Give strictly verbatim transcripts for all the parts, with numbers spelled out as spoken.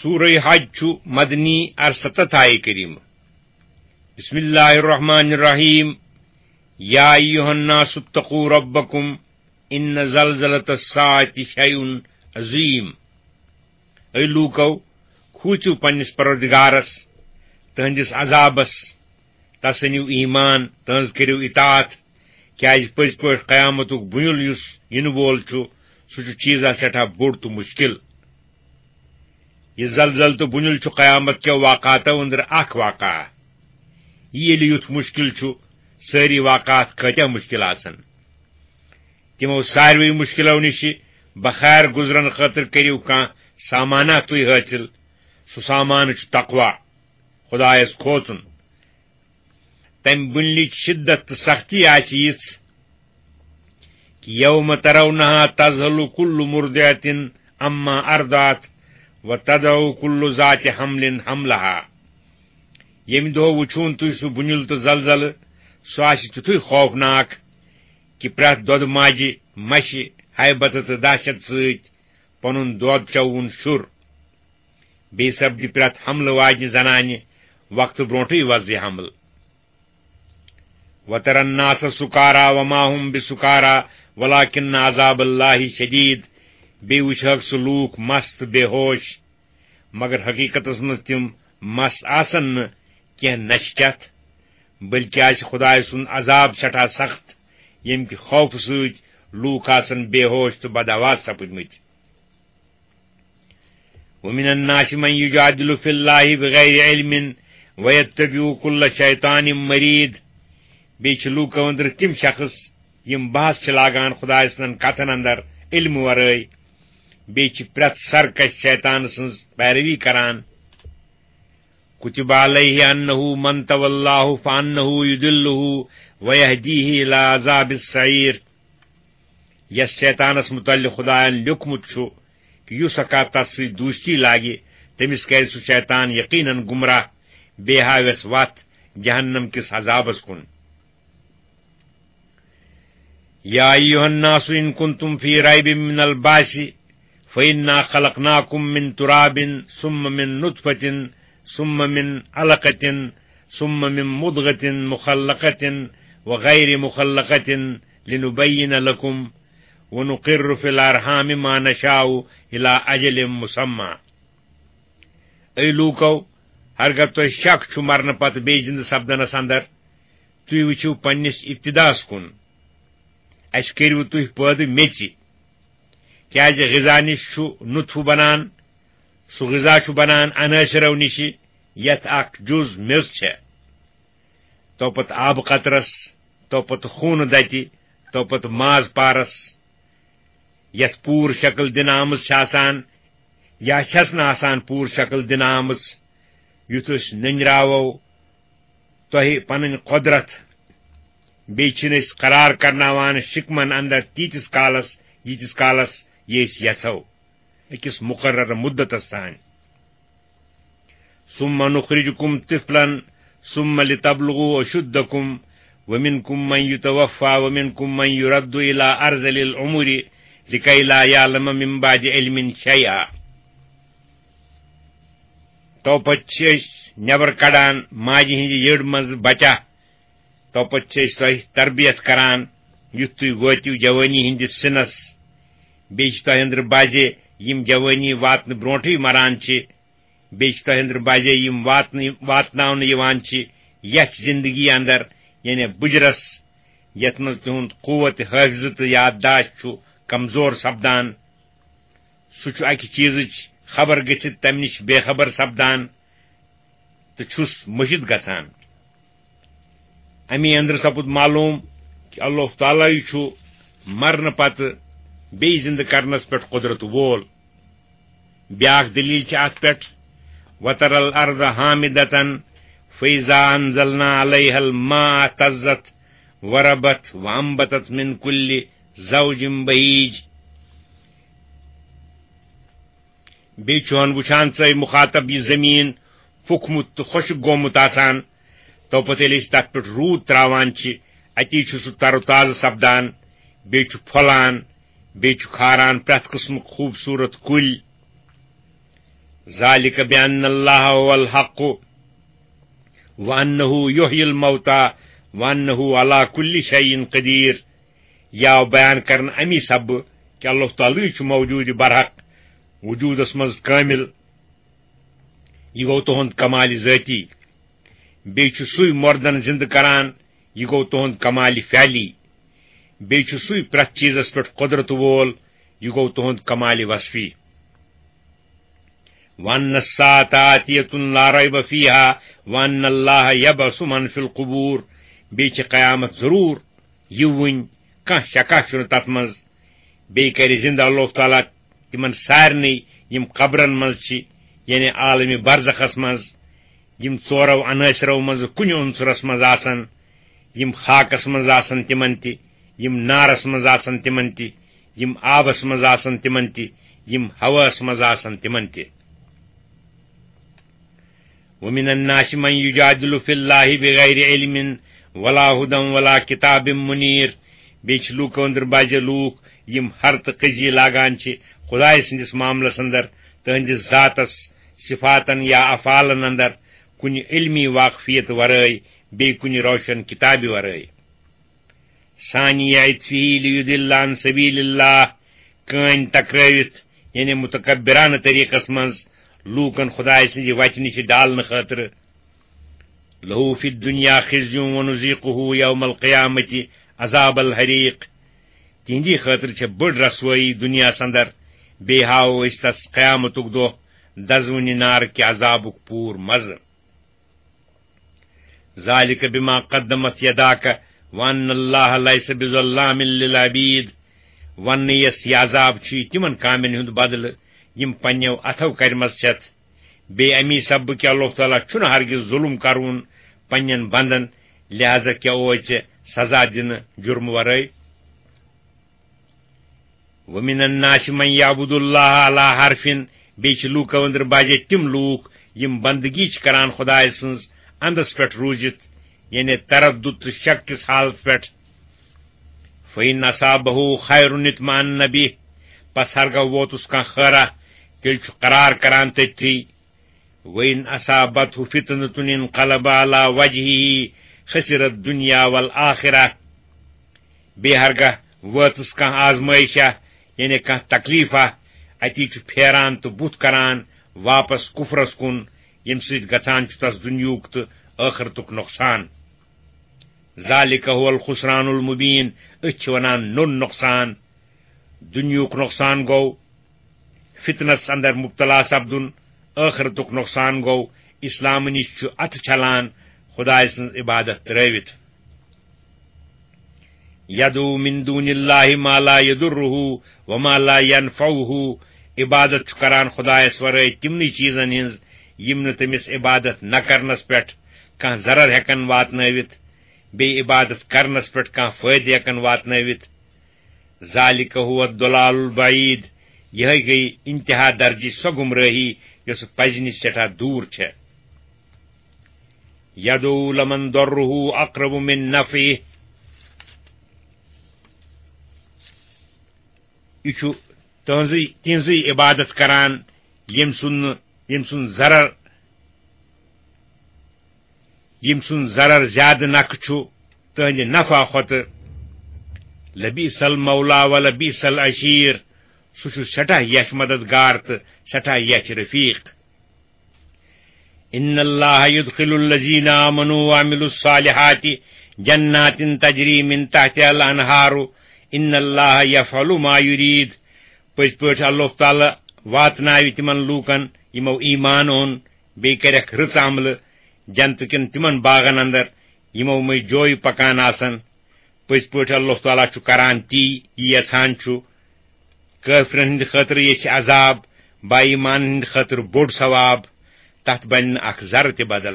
سورہ حج چھُ مدنی، ارستتھ آیہِ کریمہ۔ بسم اللہ الرحمن الرحیم۔ یا ایھا الناس اتقوا ربکم ان زلزلۃ الساعۃ شیء عظیم۔ اے لوٗکو، کھوٗژِو پننِس پروردگارس، تہنٛدِس عذابس، تس أنِو ایمان، تہنٛز کٔرِو اطاعت، کیازِ پٔزۍ پٲٹھۍ قیامتُک بُنیُل یُس یِنہٕ وول چھُ، سُہ چھُ چیٖزا سٮ۪ٹھاہ بوٚڑ تہٕ مُشکِل۔ یہِ زلزلہٕ تہٕ بُنیُل چھُ قیامت کٮ۪و واقعاتو أنٛدرٕ اکھ واقعہ۔ یہِ ییٚلہِ یُتھ مُشکِل چھُ، سٲری واقعات کۭتیاہ مُشکِل آسن۔ تِمو ساروٕے مُشکِلو نِشہِ بخیر گُزرن خٲطرٕ کٔرِو کانٛہہ سامانہ تُہۍ حٲصِل۔ سُہ سامانہٕ چھُ تقوی، خۄدایس کھوژُن۔ تمہِ بُنلِچ شدت تہٕ سختی آسہِ یِژھ، کہ یوم ترونها تذهل كل مرضعة عما ارضعت وتضع كل ذات حمل حملها۔ ییٚمہِ دۄہ وٕچھون تُہۍ سُہ بُنیُل تہٕ زلزلہٕ، سُہ آسہِ تیُتھُے خوفناک کہ پرٛٮ۪تھ دۄدٕ ماجہِ مَشہِ ہیبتہٕ تہٕ دہشت سۭتۍ پنُن دۄد چووُن شُر۔ بیٚیہِ سپدِ پرٛٮ۪تھ حملہٕ واجنہِ زنانہِ وقتہٕ برونٹھٕے وۄزلہِ حمل۔ وتر الناس سکارا وما هم بسکارا ولكن عذاب الله شدید۔ بیٚیہِ وٕچھہکھ سُہ لوٗکھ مست تہٕ بے ہوش، مگر حقیقتس منٛز تِم مست آسن نہٕ کینٛہہ نشہِ چتھ، بلکہ آسہِ خدایہِ سُنٛد عذاب سٮ۪ٹھاہ سخت، ییٚمہِ کہِ خوفہٕ سۭتۍ لوٗکھ آسن بے ہوش تہٕ بدحواس سپٕدمٕتۍ۔ ومن الناس من يجادل في الله بغير علم ويتبع كل شيطان مريد۔ بیٚیہِ چھِ لوٗکو أنٛدرٕ تِم شخص، یِم بحث چھِ لاگان خدایہِ سٕنٛدٮ۪ن کتھن اندر علمہٕ ورٲے، بیٚیہِ چھِ پرٛٮ۪تھ سرکش شیطان سٕنٛز پیروی کران۔ كتب عليه أنه من تولاه فأنه يضله ويهديه إلى عذاب السعير۔ یس شیطانس متعلق خدایَن لیوٗکھمُت چھُ کہ یُس ہکا تس سۭتۍ دوستی لاگہِ، تٔمِس کرِ سُہ شیطان یقیناً گمراہ، بیٚیہِ ہاوٮ۪س وتھ جہنم کِس عذابس کُن۔ يا أيها الناس إن كنتم في ريب من البعث فإنا خلقناكم من تراب ثم من نطفة ثم من علقة ثم من مضغة مخلقة وغير مخلقة لنبين لكم ونقر في الأرحام ما نشاء إلى أجل مسمى۔ اے لوٗکو، ہرگاہ تۄہہِ شک چھُ مرنہٕ پتہٕ بیٚیہِ زِندٕ سپدنس اندر، تُہۍ وٕچھِو پننِس ابتداہس کُن۔ اسہِ کٔرِو تُہۍ پٲدٕ میٚژِ، کیازِ غذا نِش چھُ نطفہٕ بنان، سُہ غذا چھُ بنان عناصرو نِشہِ، یتھ اکھ جُز میٚژ چھےٚ۔ تو پتہٕ آبہٕ قطرس، تو پتہٕ خوٗنہٕ دتہِ، تو پتہٕ ماز پارس۔ یتھ پوٗرٕ شکل دِنہٕ آمٕژ چھِ آسان یا چھَس نہٕ آسان پوٗرٕ شکل دِنہٕ آمٕژ، یُتھ أسۍ نٔنراوو تۄہہِ پنٕنۍ قۄدرت، بیٚیہِ چھِنہٕ أسۍ قرار کرناوان شِکمن اندر تیٖتِس کالس، ییٖتِس کالس یہِ أسۍ یژھو، أکِس مُقرر مُدتس تام۔ ثم نخرجكم طفلا ثم لتبلغوا أشدكم ومنكم من يتوفى ومنكم من يرد إلى أرذل العمر لكي لا يعلم من بعد علم شيئا۔ تو پتہٕ چھِ أسۍ نٮ۪بر کڑان ماجہِ ہٕنٛزِ یٔڈ منٛزٕ بچہ۔ تو پتہٕ چھِ أسۍ تۄہہِ تربیت کران، یُتھ تُہۍ وٲتِو جوٲنی ہٕنٛدِس سِنس۔ بیٚیہِ چھِ تۄہہِ أنٛدرٕ بعضے، یِم جوٲنی واتنہٕ برونٹھٕے مران چھِ۔ بیٚیہِ چھِ تۄہہِ أنٛدرٕ بعضے، یِم واتنہٕ، واتناونہٕ یِوان چھِ یتھ زندگی اندر، یعنی بُجرس، یتھ منٛز تِہُنٛد قوت حٲفظہٕ تہٕ یادداشت چھُ کمزور سپدان۔ سُہ چھُ اکہِ چیٖزٕچ خبر گٔژھِتھ تمہِ نِش بے خبر سپدان تہٕ چھُس مٔشِتھ گژھان۔ اَمی أنٛدرٕ سپُد معلوم کہِ اللہ تعالیٰ چھُ مرنہٕ پتہٕ بیٚیہِ زِنٛدٕ کرنس پٮ۪ٹھ قۄدرت وول۔ بیٛاکھ دٔلیٖل چھِ اَتھ پٮ۪ٹھ، وَتَرَى الْأَرْضَ هَامِدَةً فَإِذَا أَنزَلْنَا عَلَيْهَا الْمَاءَ اهْتَزَّتْ وَرَبَتْ وَأَنبَتَتْ مِنْ كُلِّ زَوْجٍ بَهِيجٍ۔ بیٚیہِ چھُہن وٕچھان ژٕ، اے مُخاطب، یہِ زٔمیٖن پھُکھمُت تہٕ خۄشٕک گوٚمُت آسان، تو پتہٕ ییٚلہِ أسۍ تتھ پٮ۪ٹھ روٗد تراوان چھِ، اتی چھُ سُہ تر و تازٕ سپدان، بیٚیہِ چھُ پھۄلان، بیٚیہِ چھُ کھاران پرٛٮ۪تھ قٕسمُک خوٗبصوٗرت کُلۍ۔ ذلك بأن الله هو الحق وأنه يحيي الموتى وأنه على كل شيء قدير۔ یہِ آو بیان کرنہٕ امی سببہٕ کہِ اللہ تعالیٰ چھُ موجود برحق، وجوٗدس منٛز کٲمِل۔ یہِ گوٚو تُہُنٛد کمال ذٲتی۔ بیٚیہِ چھُ سُے مردن زِندٕ کران، یہِ گوٚو تُہُنٛد کمال فعلی۔ بیٚیہِ چھُ سُے پرٛٮ۪تھ چیٖزس پٮ۪ٹھ قۄدرت وول، یہِ گوٚو تُہُنٛد کمال وصفی۔ وَأَنَّ السَّاعَةَ آتِيَةٌ لَا رَيْبَ فِيهَا وَأَنَّ اللَّهَ يَبْعَثُ مَنْ فِي الْقُبُورِ۔ بیٚیہِ چھِ قیامت ضروٗر یِوٕنۍ، کانٛہہ شکا چھُنہٕ تَتھ منٛز۔ بیٚیہِ کَرِ زِندٕ اللہ تعالیٰ تِمن سارنٕے، یِم قبرن منٛز چھِ، یعنی عالمِ برزخس منٛز، یِم ژورو عنٲصرو منٛز کُنہِ عنصرس منٛز آسن، یِم خاکس منٛز آسن تِمن تہِ، یِم نارس منٛز آسن تِمن تہِ، یِم آبس منٛز آسن تِمن تہِ، یِم ہوہس منٛز آسن تِمن تہِ۔ وَمِنَ النَّاسِ مَن يُجَادِلُ فِي اللَّهِ بِغَيْرِ عِلْمٍ وَلَا هُدًى وَلَا كِتَابٍ مُنِيرٍ۔ بیٚیہِ چھِ لوٗکو أنٛدرٕ بعضے لوٗکھ، یِم ہر تہٕ قضی لاگان چھِ خۄداے سٕنٛدِس معاملس اندر، تٕہنٛدِس ذاتس، صفاتن یا افعالن اندر، کُنہِ علمی واقفیت ورٲے، بیٚیہِ کُنہِ روشن کِتابہِ ورٲے۔ ثانِيَ عِطْفِهِ لِيُضِلَّ عَن سَبِيلِ اللَّهِ، کٲنۍ ٹکرٲوِتھ، یعنی متکبرانہٕ طریقس منٛز لوٗکن خۄداے سٕنٛزِ وتہِ نِش ڈالنہٕ خٲطرٕ۔ لَهُ فِي الدُّنْيَا خِزْيٌ وَنُذِيقُهُ يَوْمَ الْقِيَامَةِ عَذَابَ الْحَرِيقِ۔ تِہنٛدی خٲطرٕ چھےٚ بٔڑ رسوٲیی دُنیاہس اندر، بیٚیہِ ہاوو أسۍ تس قیامتُک دۄہ دزوٕنہِ نارٕ کہِ عذابُک پوٗر مزٕ۔ ذَلِكَ بِمَا قَدَّمَتْ يَدَاكَ وَأَنَّ اللَّهَ لَيْسَ بِظَلَّامٍ لِلْعَبِيدِ۔ وننہٕ یَس یہِ عذاب چھُ تِمن کامٮ۪ن ہُنٛد بدلہٕ یِم پننٮ۪و اَتھو کٔرمٕژ چھَتھ۔ بیٚیہِ اَمی سببہٕ کہِ اللہ تعالیٰ چھُنہٕ ہرگز ظلم کرون پننٮ۪ن بندن، لہذا کیٛاہ اوس ژےٚ سزا دِنہٕ جُرمہٕ ورٲے؟ وَمِنَ النَّاسِ مَن يَعْبُدُ اللَّهَ عَلَىٰ حَرْفٍ، بیٚیہِ چھِ لوٗکو أنٛدرٕ بجے تِم لوٗکھ یِم بندگی چھِ کران خۄداے سٕنٛز اندس پٮ۪ٹھ روٗزِتھ، یعنی تردد تہٕ شک کِس حالت پٮ۪ٹھ۔ فَإِنْ أَصَابَهُ خَيْرٌ اطْمَأَنَّ بِهِ، پس ہرگاہ ووتُس کانٛہہ خٲرا، تیٚلہِ چھُ قرار کران تٔتھی۔ وَإِنْ أَصَابَتْهُ فِتْنَةٌ انْقَلَبَ عَلَىٰ وَجْهِهِ خَسِرَ الدُّنْيَا وَالْآخِرَةَ۔ بیٚیہِ ہرگاہ وٲژٕس کانٛہہ آزمٲیشا، یعنی کانٛہہ تکلیفا، اتی چھُ پھیران تہٕ بُتھ کران واپس کفرس کُن، ییٚمہِ سۭتۍ گژھان چھُ تس دُنیاہُک تہٕ ٲخرتُک نۄقصان۔ ذَلِكَ هُوَ الْخُسْرَانُ الْمُبِينُ، أتھۍ چھِ ونان نوٚن نۄقصان۔ دُنیاہُک نۄقصان گوٚو فتنس اندر مبتلا سپدُن، ٲخرتُک نۄقصان گوٚو اسلام نِش چھُ اتھٕ چھلان خدایہِ سٕنٛز عبادت ترٲوِتھ۔ يَدْعُو مِن دُونِ اللَّهِ مَا لَا يَضُرُّهُ وَمَا لَا يَنْفَعُهُ، عبادت چھُ کران خدایس ورٲے تِمنٕے چیٖزن ہٕنٛز یِم نہٕ تٔمِس عبادت نہ کرنس پٮ۪ٹھ کانٛہہ ضرر ہٮ۪کن واتنٲوِتھ، بیٚیہِ عبادت کرنس پٮ۪ٹھ کانٛہہ فٲیدٕ ہٮ۪کن واتنٲوِتھ۔ ذَلِكَ هُوَ الضَّلَالُ الْبَعِيدُ، یِہے گٔیہِ انتہا درجٕچ سۄ گمرٲہی یۄسہٕ پزِ نِش سٮ۪ٹھاہ دوٗر چھےٚ۔ يَدْعُو لَمَنْ ضَرُّهُ أَقْرَبُ مِنْ نَفْعِهِ، یہِ چھُ تہنٛزٕے تِہنٛزٕے عبادت کران، ییٚمۍ سُنٛد نہٕ ییٚمۍ سُنٛد ضرر ییٚمۍ سُنٛد ضرر زیادٕ نکھٕ چھُ تہنٛدِ نفع کھۄتہٕ۔ لَبِئْسَ الْمَوْلَىٰ وَلَبِئْسَ الْعَشِيرُ، سُہ چھُ سٮ۪ٹھاہ یَچھ مددگار تہٕ سٮ۪ٹھاہ یَچھ رفیق۔ إِنَّ اللَّهَ يُدْخِلُ الَّذِينَ آمَنُوا وَعَمِلُوا الصَّالِحَاتِ جَنَّاتٍ تَجْرِي مِن تَحْتِهَا الْأَنْهَارُ، إِنَّ اللَّهَ يَفْعَلُ مَا يُرِيدُ۔ پٔزۍ پٲٹھۍ اللہ تعالیٰ واتناوِ تِمن لوٗکن، یِمو ایمان اوٚن، بیٚیہِ کَرٮ۪کھ رٕژ عملہٕ، جنتہٕ کٮ۪ن تِمن باغن اندر، یِمو مٔنٛزۍ جویہِ پکان آسن۔ پٔزۍ پٲٹھۍ اللہ تعالیٰ چھُ کران تی، یہِ یژھان چھُ۔ کٲفرن ہٕنٛدِ خٲطرٕ ییٚتہِ چھِ عذاب، با ایمانن ہٕنٛدِ خٲطرٕ بوٚڑ ثواب، تتھ بنہِ نہٕ اکھ ذرٕ تہِ بدل۔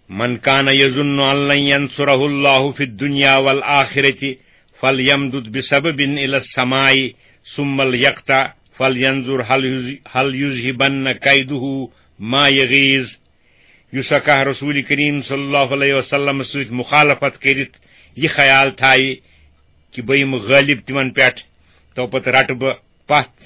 مَنْ كَانَ يَظُنُّ أَنْ لَنْ يَنْصُرَهُ اللَّهُ فِي الدُّنْيَا وَالْآخِرَةِ فَلْيَمْدُدْ بِسَبَبٍ إِلَى السَّمَاءِ ثُمَّ لْيَقْطَعْ فَلْيَنْظُرْ هَلْ يُذْ-، هَلْ يُذْهِبَنَّ كَيْدُهُ مَا يَغِيظُ۔ یُس ہا کانٛہہ رسول کریم صلی اللہ علیہ وسلم سۭتۍ مخالفت کٔرِتھ یہِ خیال تھاوِ کہِ بہٕ یِمہٕ غٲلب تِمن پٮ۪ٹھ، تو پتہٕ رٹہٕ بہٕ پتھ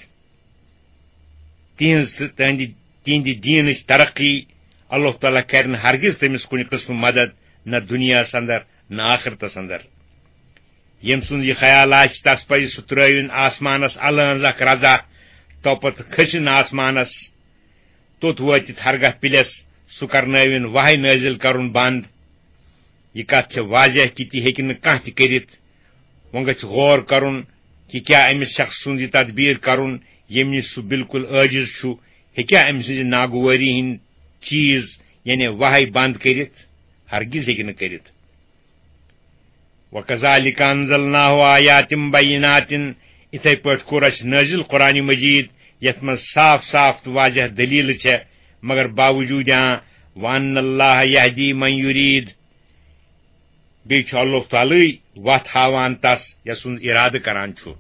تِہنٛز تہٕ تہنٛدِ، تِہنٛدِ دیٖنٕچ ترقی، اللہ تعالیٰ کرِ نہٕ ہرگز تٔمِس کُنہِ قٕسمہٕ مدد، نہ دُنیاہس اندر نہ آخرتس اندر۔ ییٚمۍ سُنٛد یہِ خیال آسہِ، تس پزِ سُہ ترٲوِن آسمانس الہٕ ہٕنٛز اکھ رزا، تو پتہٕ کھٔسِن آسمانس، توٚت وٲتِتھ ہرگاہ پِلٮ۪س، سُہ کرنٲوِن وحی نٲزِل کرُن بنٛد۔ یہِ کتھ چھےٚ واضح کہِ تہِ ہیٚکہِ نہٕ کانٛہہ تہِ کٔرِتھ۔ وۄنۍ گژھِ غور کرُن کہِ کیٛاہ أمِس شخص سُنٛد یہِ تدبیر کرُن، ییٚمہِ نِش سُہ بالکل عٲجز چھُ، ہیٚکیٛاہ أمۍ سٕنٛزِ ناگوٲری ہٕنٛدۍ چیٖز، یعنی وحی بنٛد کٔرِتھ؟ ہرگز ہیٚکہِ نہٕ کٔرِتھ۔ وَكَذَلِكَ أَنزَلْنَاهُ آيَاتٍ بَيِّنَاتٍ، اِتھے پٲٹھۍ کوٚر اَسہِ نٲزِل قرآن مجید، یَتھ منٛز صاف صاف تہٕ واضح دٔلیٖلہٕ چھےٚ، مگر باوجوٗد اَں، وَأَنَّ اللَّهَ يَهْدِي مَن يُرِيدُ، بیٚیہِ چھُ اللہ تعالیٰ وَتھ ہاوان تَس، یَس سُنٛد اِرادٕ کران چھُ۔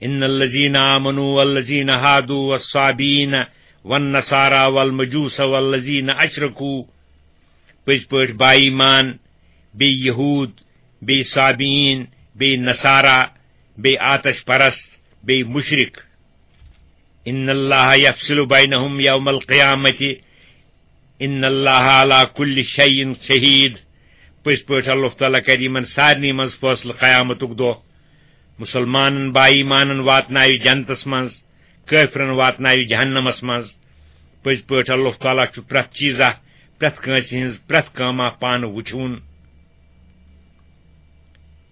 إِنَّ الَّذِينَ آمَنُوا وَالَّذِينَ هَادُوا وَالصَّابِئِينَ وَالنَّصَارَىٰ وَالْمَجُوسَ وَالَّذِينَ أَشْرَكُوا، پٔزۍ پٲٹھۍ با ایمان، بیٚیہِ یہوٗد، بیٚیہِ صابئیٖن، بیٚیہِ نصارا، بیٚیہِ آتش پرست، بیٚیہِ مُشرِک۔ إِنَّ اللَّهَ يَفْصِلُ بَيْنَهُمْ يَوْمَ الْقِيَامَةِ، إِنَّ اللَّهَ عَلَىٰ كُلِّ شَيْءٍ شَهِيدٌ۔ پٔزۍ پٲٹھۍ اللہ تعالیٰ کرِ یِمن سارنٕے منٛز فٲصلہٕ قیامتُک دۄہ۔ مُسلمانن با ایمانن واتناوِ جنتس منٛز، کٲفرن واتناوِ جہنمس منٛز۔ پٔزۍ پٲٹھۍ اللہ تعالیٰ چھُ پرٛٮ۪تھ چیٖزا، پرٛٮ۪تھ کٲنٛسہِ ہٕنٛز پرٛٮ۪تھ کٲما پانہٕ وُچھوُن۔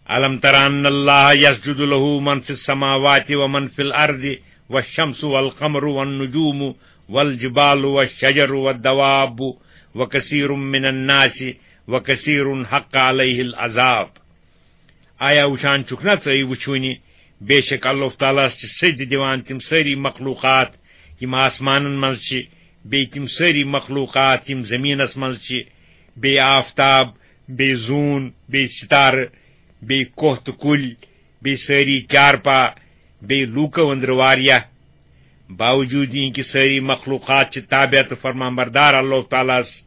أَلَمْ تَرَ أَنَّ اللَّهَ يَسْجُدُ لَهُ مَنْ فِي السَّمَاوَاتِ وَمَنْ فِي الْأَرْضِ وَالشَّمْسُ وَالْقَمَرُ وَالنُّجُومُ وَالْجِبَالُ وَالشَّجَرُ وَالدَّوَابُّ وَكَثِيرٌ مِنَ النَّاسِ وَكَثِيرٌ حَقَّ عَلَيْهِ الْعَذَابُ۔ آیا وُچھان چھُکھ نا ژٕ، وُچھوٕنہِ، بے شک اللہ تعالیٰ ہس چھِ سجدٕ دِوان تِم سٲری مخلوقات، یِم آسمانن منٛز چھِ، بیٚیہِ تِم سٲری مخلوقات، یِم زٔمیٖنس منٛز چھِ، بیٚیہِ آفتاب، بیٚیہِ زوٗن، بیٚیہِ ستارٕ، بیٚیہِ کوہ تہٕ کُلۍ، بیٚیہِ سٲری چارپا، بیٚیہِ لوٗکو أنٛدرٕ واریاہ۔ باوجوٗد یہِ کہِ سٲری مخلوقات چھِ تابع تہٕ فرمانبردار اللہ تعالیٰ ہس،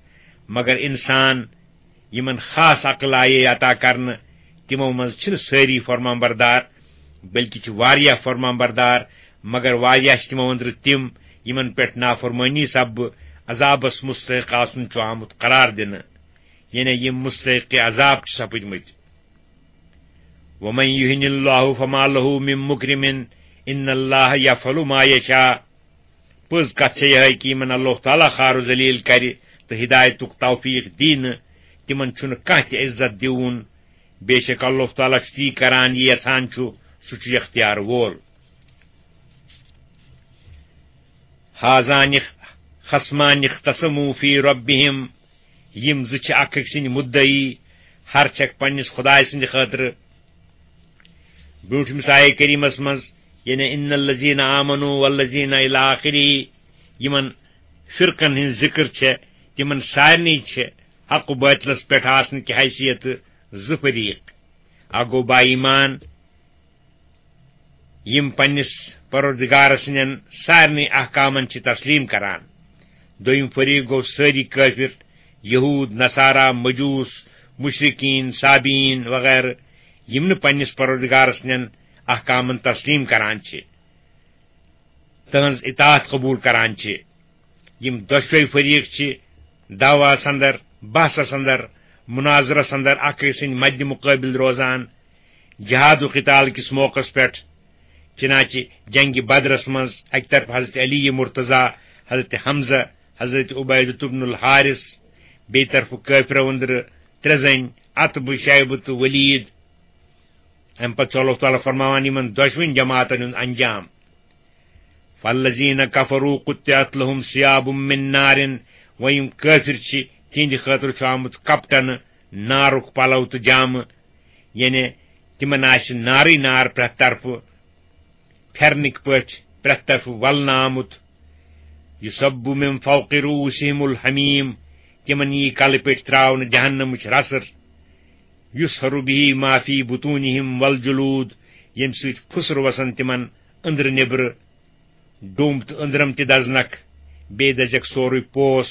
مگر انسان، یِمن خاص عقل آیے عطا کرنہٕ، تِمو منٛز چھِنہٕ سٲری فرمانبردار، بلکہِ چھِ واریاہ فرمانبردار، مگر واریاہ چھِ تِمو أنٛدرٕ تِم، یِمن پٮ۪ٹھ نافرمٲنی سببہٕ عذابس مستحق آسُن چھُ آمُت قرار دِنہٕ، یعنی یِم مستحق عذاب چھِ سپٕدمٕتۍ۔ وَمَن يُهِنِ اللَّهُ فَمَا لَهُ مِن مُّكْرِمٍ، إِنَّ اللَّهَ يَفْعَلُ مَا يَشَاءُ۔ پٔز کتھ چھےٚ یِہے کہِ یِمن اللہ تعالیٰ خار و ذلیل کرِ تہٕ ہدایتُک توفیق دی نہٕ، تِمن چھُنہٕ کانٛہہ تہِ عزت دیوُن۔ بے شک اللہ تعالیٰ چھُ تی کران، یہِ یژھان چھُ، سُہ چھُ اختیار وول۔ هَذَانِ خَصْمَانِ اخْتَصَمُوا فِي رَبِّهِمْ، یِم زٕ چھِ اکھ أکۍ سٕنٛدۍ مُدعی، ہر چھکھ پننِس خدایہِ سٕنٛدِ خٲطرٕ۔ برٛونٛٹھمِس آیہِ کریٖمس منٛز، یعنی إِنَّ الَّذِينَ آمَنُوا وَالَّذِينَ إِلَىٰ آخِرِهِ، یِمن فرقن ہٕنٛز ذِکر چھےٚ، تِمن سارنٕے چھےٚ حق و باطلس پٮ۪ٹھ آسنہٕ کہِ حیثیت زٕ فریق۔ اکھ گوٚو با ایمان، یِم پننِس پروردگار سٕنٛدٮ۪ن سارنٕے احکامن چھِ تسلیٖم کران۔ دوٚیِم فریق گوٚو سٲری کٲفِر، یہوٗد، نصارا، مجوٗس، مُشرِکیٖن، صابیٖن وغیرہ، یِم نہٕ پننِس پروردگار سٕنٛدٮ۪ن احکامن تسلیٖم کران چھِ، تہنٛز اطاعت قبوٗل کران چھِ۔ یِم دۄشوے فریق چھِ دعویٰ اندر، بحثس اندر، مناظرس اندر اکھ أکۍ سٕنٛدۍ مدِ مقٲبل روزان۔ جہاد و قتال کِس موقعس پٮ۪ٹھ، چنانچہ جنگِ بدرس منٛز اکہِ طرفہٕ حضرت علی مرتضیٰ، حضرت حمزہ، حضرت عبیدہ بن الحارث، بیٚیہِ طرفہٕ کٲفرو أنٛدرٕ ترٛےٚ زٔنۍ، عتبہ، شیبہ تہٕ ولید۔ امہِ پتہٕ چھُ اللہ تعالیٰ فرماوان یِمن دۄشوٕنۍ جماعتن ہُنٛد انجام۔ فَالَّذِينَ كَفَرُوا قُطِّعَتْ لَهُمْ ثِيَابٌ مِّن نَّارٍ، وۄنۍ یِم کٲفِر چھِ، تِہنٛدِ خٲطرٕ چھُ آمُت کپٹنہٕ نارُک پلو تہٕ جامہٕ، یعنی تِمن آسہِ نارٕے نار پرٛٮ۪تھ طرفہٕ، پھیرنٕکۍ پٲٹھۍ پرٛٮ۪تھ طرفہٕ ولنہٕ آمُت۔ يُصَبُّ مِن فَوْقِ رُءُوسِهِمُ الْحَمِيمُ، تِمن یی کلہٕ پٮ۪ٹھۍ ترٛاونہٕ جہنمٕچ رسر۔ يُصْهَرُ بِهِ مَا فِي بُطُونِهِمْ وَالْجُلُودُ، ییٚمہِ سۭتۍ پھُسر وسن تِمن أنٛدرٕ نیٚبرٕ، ڈوٚمب تہٕ أنٛدرم تہِ دزنکھ، بیٚیہِ دزٮ۪کھ سورُے پوس۔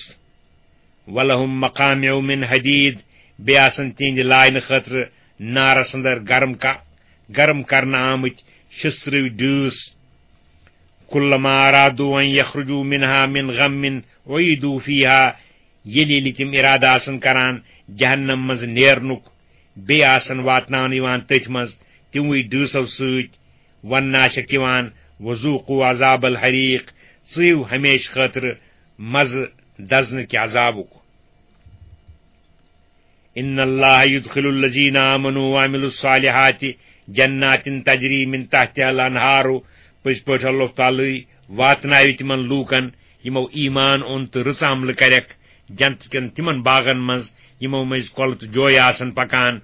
وَلَهُم مَّقَامِعُ مِنْ حَدِيدٍ، بیٚیہِ آسن تِہنٛدِ لاینہٕ خٲطرٕ نارس اندر گرم کا-، گرم کرنہٕ آمٕتۍ شستٕروۍ ڈٲس۔ كلما أرادوا أن يخرجوا منها من غم أعيدوا فيها، ییٚلہِ ییٚلہِ تِم اِرادٕ آسن کران جہنم منٛز نیرنُک، بیٚیہِ آسن واتناونہٕ یِوان تٔتھۍ منٛز تِموٕے ڈٲسو سۭتۍ، وننہٕ آسٮ۪کھ یِوان، وذوقوا عذاب الحریق، ژٕیِو ہمیشہٕ خٲطرٕ مزٕ دزنہٕ کہِ عذابُک۔ ان اللہ یدخل الذین آمنوا وعملوا الصالحات جنات تجری من تحتها الانہار، پٔزۍ پٲٹھۍ اللہ تعالیٰ واتناوِ تِمن لوٗکن یِمو ایمان اوٚن تہٕ رٕژ عملہٕ کرٮ۪کھ جنت کٮ۪ن تِمن باغن منٛز یِمو مٔنٛزۍ کۄلہٕ تہٕ جویہِ آسن پکان۔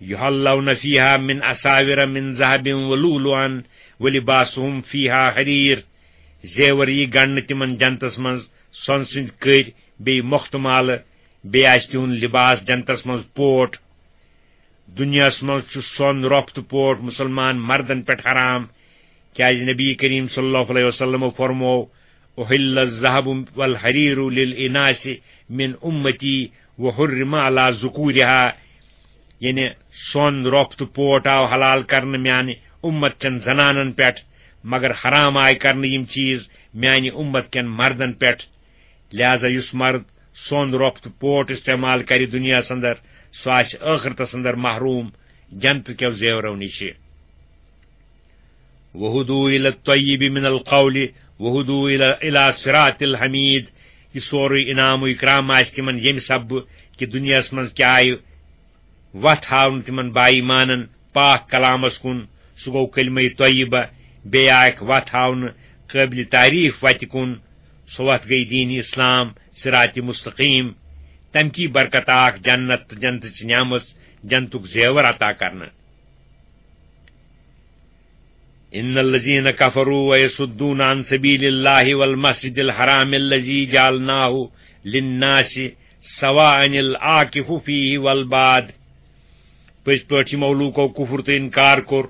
یحلون فیہا من اساور من ذہب ولؤلؤا ولباسہم فیہا حریر، زیور یی گنڈنہٕ تِمن جنتس منٛز سۄنہٕ سٕنٛدۍ کٔرۍ بیٚیہِ مۄختہٕ مالہٕ، بیٚیہِ آسہِ تِہُنٛد لباس جنتس منٛز پوٹ۔ دُنیاہس منٛز چھُ سۄن رۄپھ تہٕ پوٹ مُسلمان مردن پٮ۪ٹھ حرام، کیازِ نبی کریم صلی اللہ علیہ وسلمو فرموو، "احل الذهب والحرير للاناث من امتی وحرم على ذکورها"، یعنی سۄن رۄپھ تہٕ پوٹ آو حلال کرنہٕ میانہِ امت چٮ۪ن زنانن پٮ۪ٹھ، مگر حرام آے کرنہٕ یِم چیز میانہِ امت کٮ۪ن مردن پٮ۪ٹھ۔ لہذا یُس مرد سۄن رۄپھ تہٕ پوٹ استعمال کرِ دُنیاہس اندر، سُہ آسہِ ٲخرتس اندر محروم جنت کیو زیورو نِشہِ۔ وہدوا الی الطیب من القول وہدوا الی، الی صراط الحمید۔ یہِ سورُے انعام و اکرام آسہِ تِمن ییٚمہِ سببہٕ کہِ دُنیاہس منٛز کیٛاہ آیہِ وتھ ہاونہٕ تِمن با ایمانن پاک کلامس کُن، سُہ گوٚو کلمہ طیبہ، بیٚیہِ آکھ وتھ ہاونہٕ قٲبلِ تعریف وتہِ کُن، سۄ وتھ گٔے دین اسلام، صراط مستقیم۔ تمہِ کی برکت آکھ جنت تہٕ جنتٕچ نعمت، جنتُک زیور عطا کرنہٕ۔ ان الذين كفروا ويصدون عن سبيل الله والمسجد الحرام الذي جعلناه للناس سواء العاكف فيه والباد۔ پٔزۍ پٲٹھۍ یِمو لوٗکو کُفر تہٕ اِنکار کوٚر،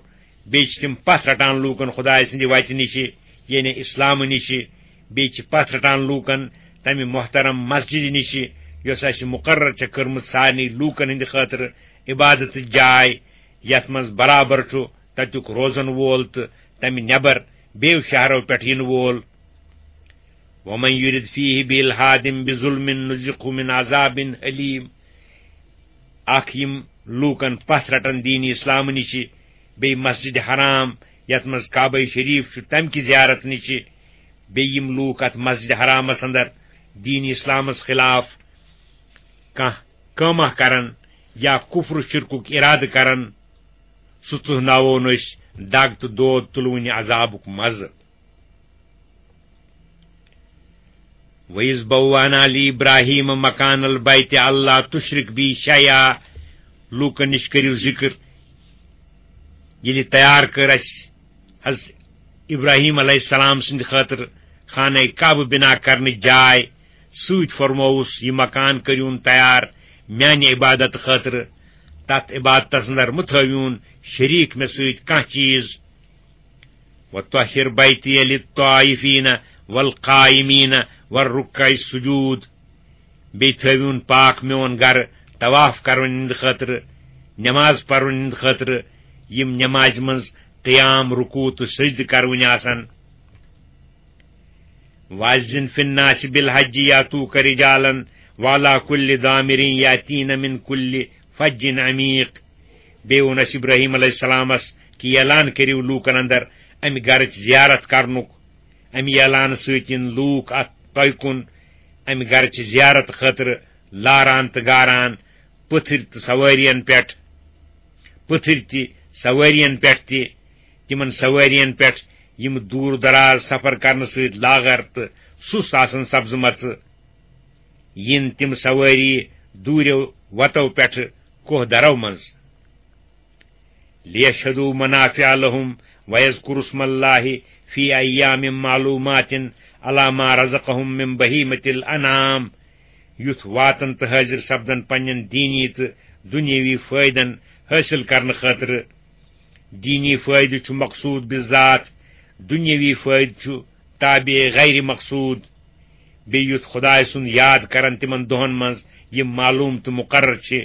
بیٚیہِ چھِ تِم پتھ رٹان لوٗکن خدایہِ سٕنٛدِ وتہِ نِشہِ، یعنی اسلامہٕ نِشہِ، بیٚیہِ چھِ پتھ رٹان لوٗکن تمہِ محترم مسجدِ نِشہِ، یۄس اسہِ مقرر چھےٚ کٔرمٕژ سارنٕے لوٗکن ہٕنٛدِ خٲطرٕ عبادتٕچ جاے، یتھ منٛز برابر چھُ تتیُک روزن وول تہٕ تمہِ نٮ۪بر بیٚیو شہرو پٮ۪ٹھ یِنہٕ وول۔ ومن يرد فيه بإلحاد بظلم نذقه من عذاب أليم۔ اکھ یِم لوٗکن پتھ رٹن دین اسلام نِشہِ، بیٚیہِ مسجد حرام یتھ منٛز کعبہ شریف چھُ، تمہِ کہِ زیارت نِشہِ، بیٚیہِ یِم لوٗکھ اتھ مسجد حرامس اندر دین اسلامس خلاف کانٛہہ کٲمہ کرن یا کفر و شرکُک ارادٕ کرن، سُہ ژُہناوون أسۍ دگ تہٕ دود تُلوٕنہِ عذابُک مزٕ۔ وَإِذْ بَوَّأْنَا لِإِبْرَاهِيمَ مَكَانَ الْبَيْتِ أَلَّا تُشْرِكْ بِي شَيْئًا۔ لوٗکن نِش کٔرِو ذِکر، ییٚلہِ تیار کٔر اَسہِ حضرت ابراہیم علیہ السلام سٕنٛدِ خٲطرٕ خانہ کعبہٕ بنا کرنٕچ جاے، سۭتۍ فرمووُس، "یہِ مکان کٔرِوُن تیار میانہِ عبادت خٲطرٕ، تتھ عبادتس اندر مہٕ تھٲوِوُن شریٖک مےٚ سۭتۍ کانٛہہ چیٖز۔ وطهر بیتی للطائفین والقائمین والرکع السجود۔" بیٚیہِ تھٲوِوُن پاک میون گرٕ طواف کرن ہٕنٛدِ خٲطرٕ، نماز پرن ہٕنٛدِ خٲطرٕ، یِم نمازِ منٛز قیام، رکوع تہٕ سجدٕ کرونہِ آسن۔ وَأَذِّن فِي النَّاسِ بِالْحَجِّ يَأْتُوكَ رِجَالًا وَعَلَىٰ كُلِّ ضَامِرٍ يَأْتِينَ مِنْ كُلِّ فَجٍّ عَمِيقٍ۔ بیٚیہِ ووٚن اَسہِ ابراہیم علیہ السلامس کہِ اعلان کٔرِو لوٗکن اندر امہِ گرٕچ زیارت کرنُک۔ امہِ اعلانہٕ سۭتۍ یِن لوٗکھ اتھ تۄہہِ کُن امہِ گرٕچ زیارت خٲطرٕ لاران تہٕ گاران، پٔتھٕرۍ تہٕ سوٲرین پٮ۪ٹھ، پٔتھٕرۍ تہِ سوٲرین پٮ۪ٹھ تہِ، تِمن سوٲرین پٮ۪ٹھ یِم دوٗر دراز سفر کرنہٕ سۭتۍ لاغر تہٕ سُست آسن سپزمژٕ، یِن تِم سوٲری دوٗریو وتو پٮ۪ٹھٕ کوہ درو منٛز۔ لِيَشْهَدُوا مَنَافِعَ لَهُمْ وَيَذْكُرُوا اسْمَ اللَّهِ فِي أَيَّامٍ مَّعْلُومَاتٍ عَلَىٰ مَا رَزَقَهُمْ مِنْ بَهِيمَةِ الْأَنْعَامِ۔ یُتھ واتن تہٕ حٲضِر سپدن پننٮ۪ن دینی تہٕ دُنیٲوی فٲیدن حٲصِل کرنہٕ خٲطرٕ۔ دینی فٲیدٕ چھُ مقصوٗد بِذات، دُنیٲوی فٲیدٕ چھُ تابع غیر مقصوٗد۔ بیٚیہِ یُتھ خۄداے سُنٛد یاد کرن تِمن دۄہن منٛز، یِم معلوٗم تہٕ مُقرر چھِ۔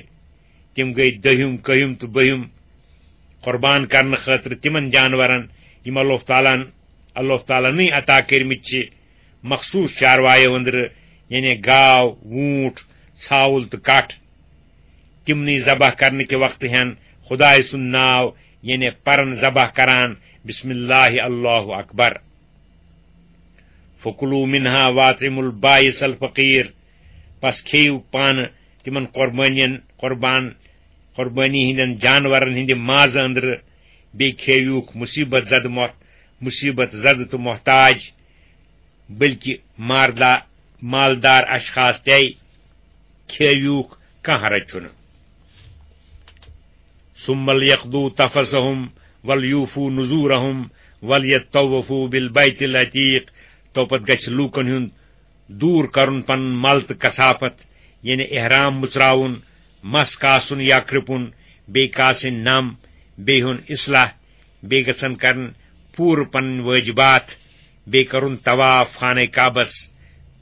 تِم گٔے دٔہِم، کٔہِم تہٕ بٔہِم قۄربان کرنہٕ خٲطرٕ تِمن جانورن، یِم اللہ تعالیٰ ہن اللہ تعالیٰ نٕے عطا کٔرمٕتۍ چھِ مخصوٗص چاروایو أنٛدرٕ، یعنی گاو، ووٗنٛٹھ، ژھاوُل تہٕ کٹھ۔ تِمنٕے ذبح کرنہٕ کہِ وقتہٕ ہٮ۪ن خدایہِ سُنٛد ناو، یعنی پرن ذبح کران، بسم اللہ اللہ اکبر۔ فکلوا منها واطعموا البائس الفقیر، پس کھیٚیِو پانہٕ تِمن قربٲنین، قربان، قربٲنی ہٕنٛدٮ۪ن جانورن ہٕنٛدِ مازٕ أنٛدرٕ، بیٚیہِ کھیٚیِوکھ مُصیبت زدٕ مۄ-، مُصیبت زدٕ تہٕ محتاج، بلکہِ ماردا-، مالدار اشخاص تہِ کھیٚیِوکھ، کانٛہہ حرج چھُنہٕ۔ ثم ليقضوا تفثهم وليوفوا نذورهم وليطوفوا بالبيت العتيق۔ تو پتہٕ گژھِ لوٗکن ہُنٛد دوٗر کرُن پنُن مل تہٕ کثافت، یعنی احرام مُژراوُن، مس کاسُن یا کرٛپُن، بیٚیہِ کاسٕنۍ نم، بیٚیہِ ہُن اصلاح، بیٚیہِ گژھن کرٕنۍ پوٗرٕ پنٕنۍ وٲجبات، بیٚیہِ کرُن طواف خانہ کعبس،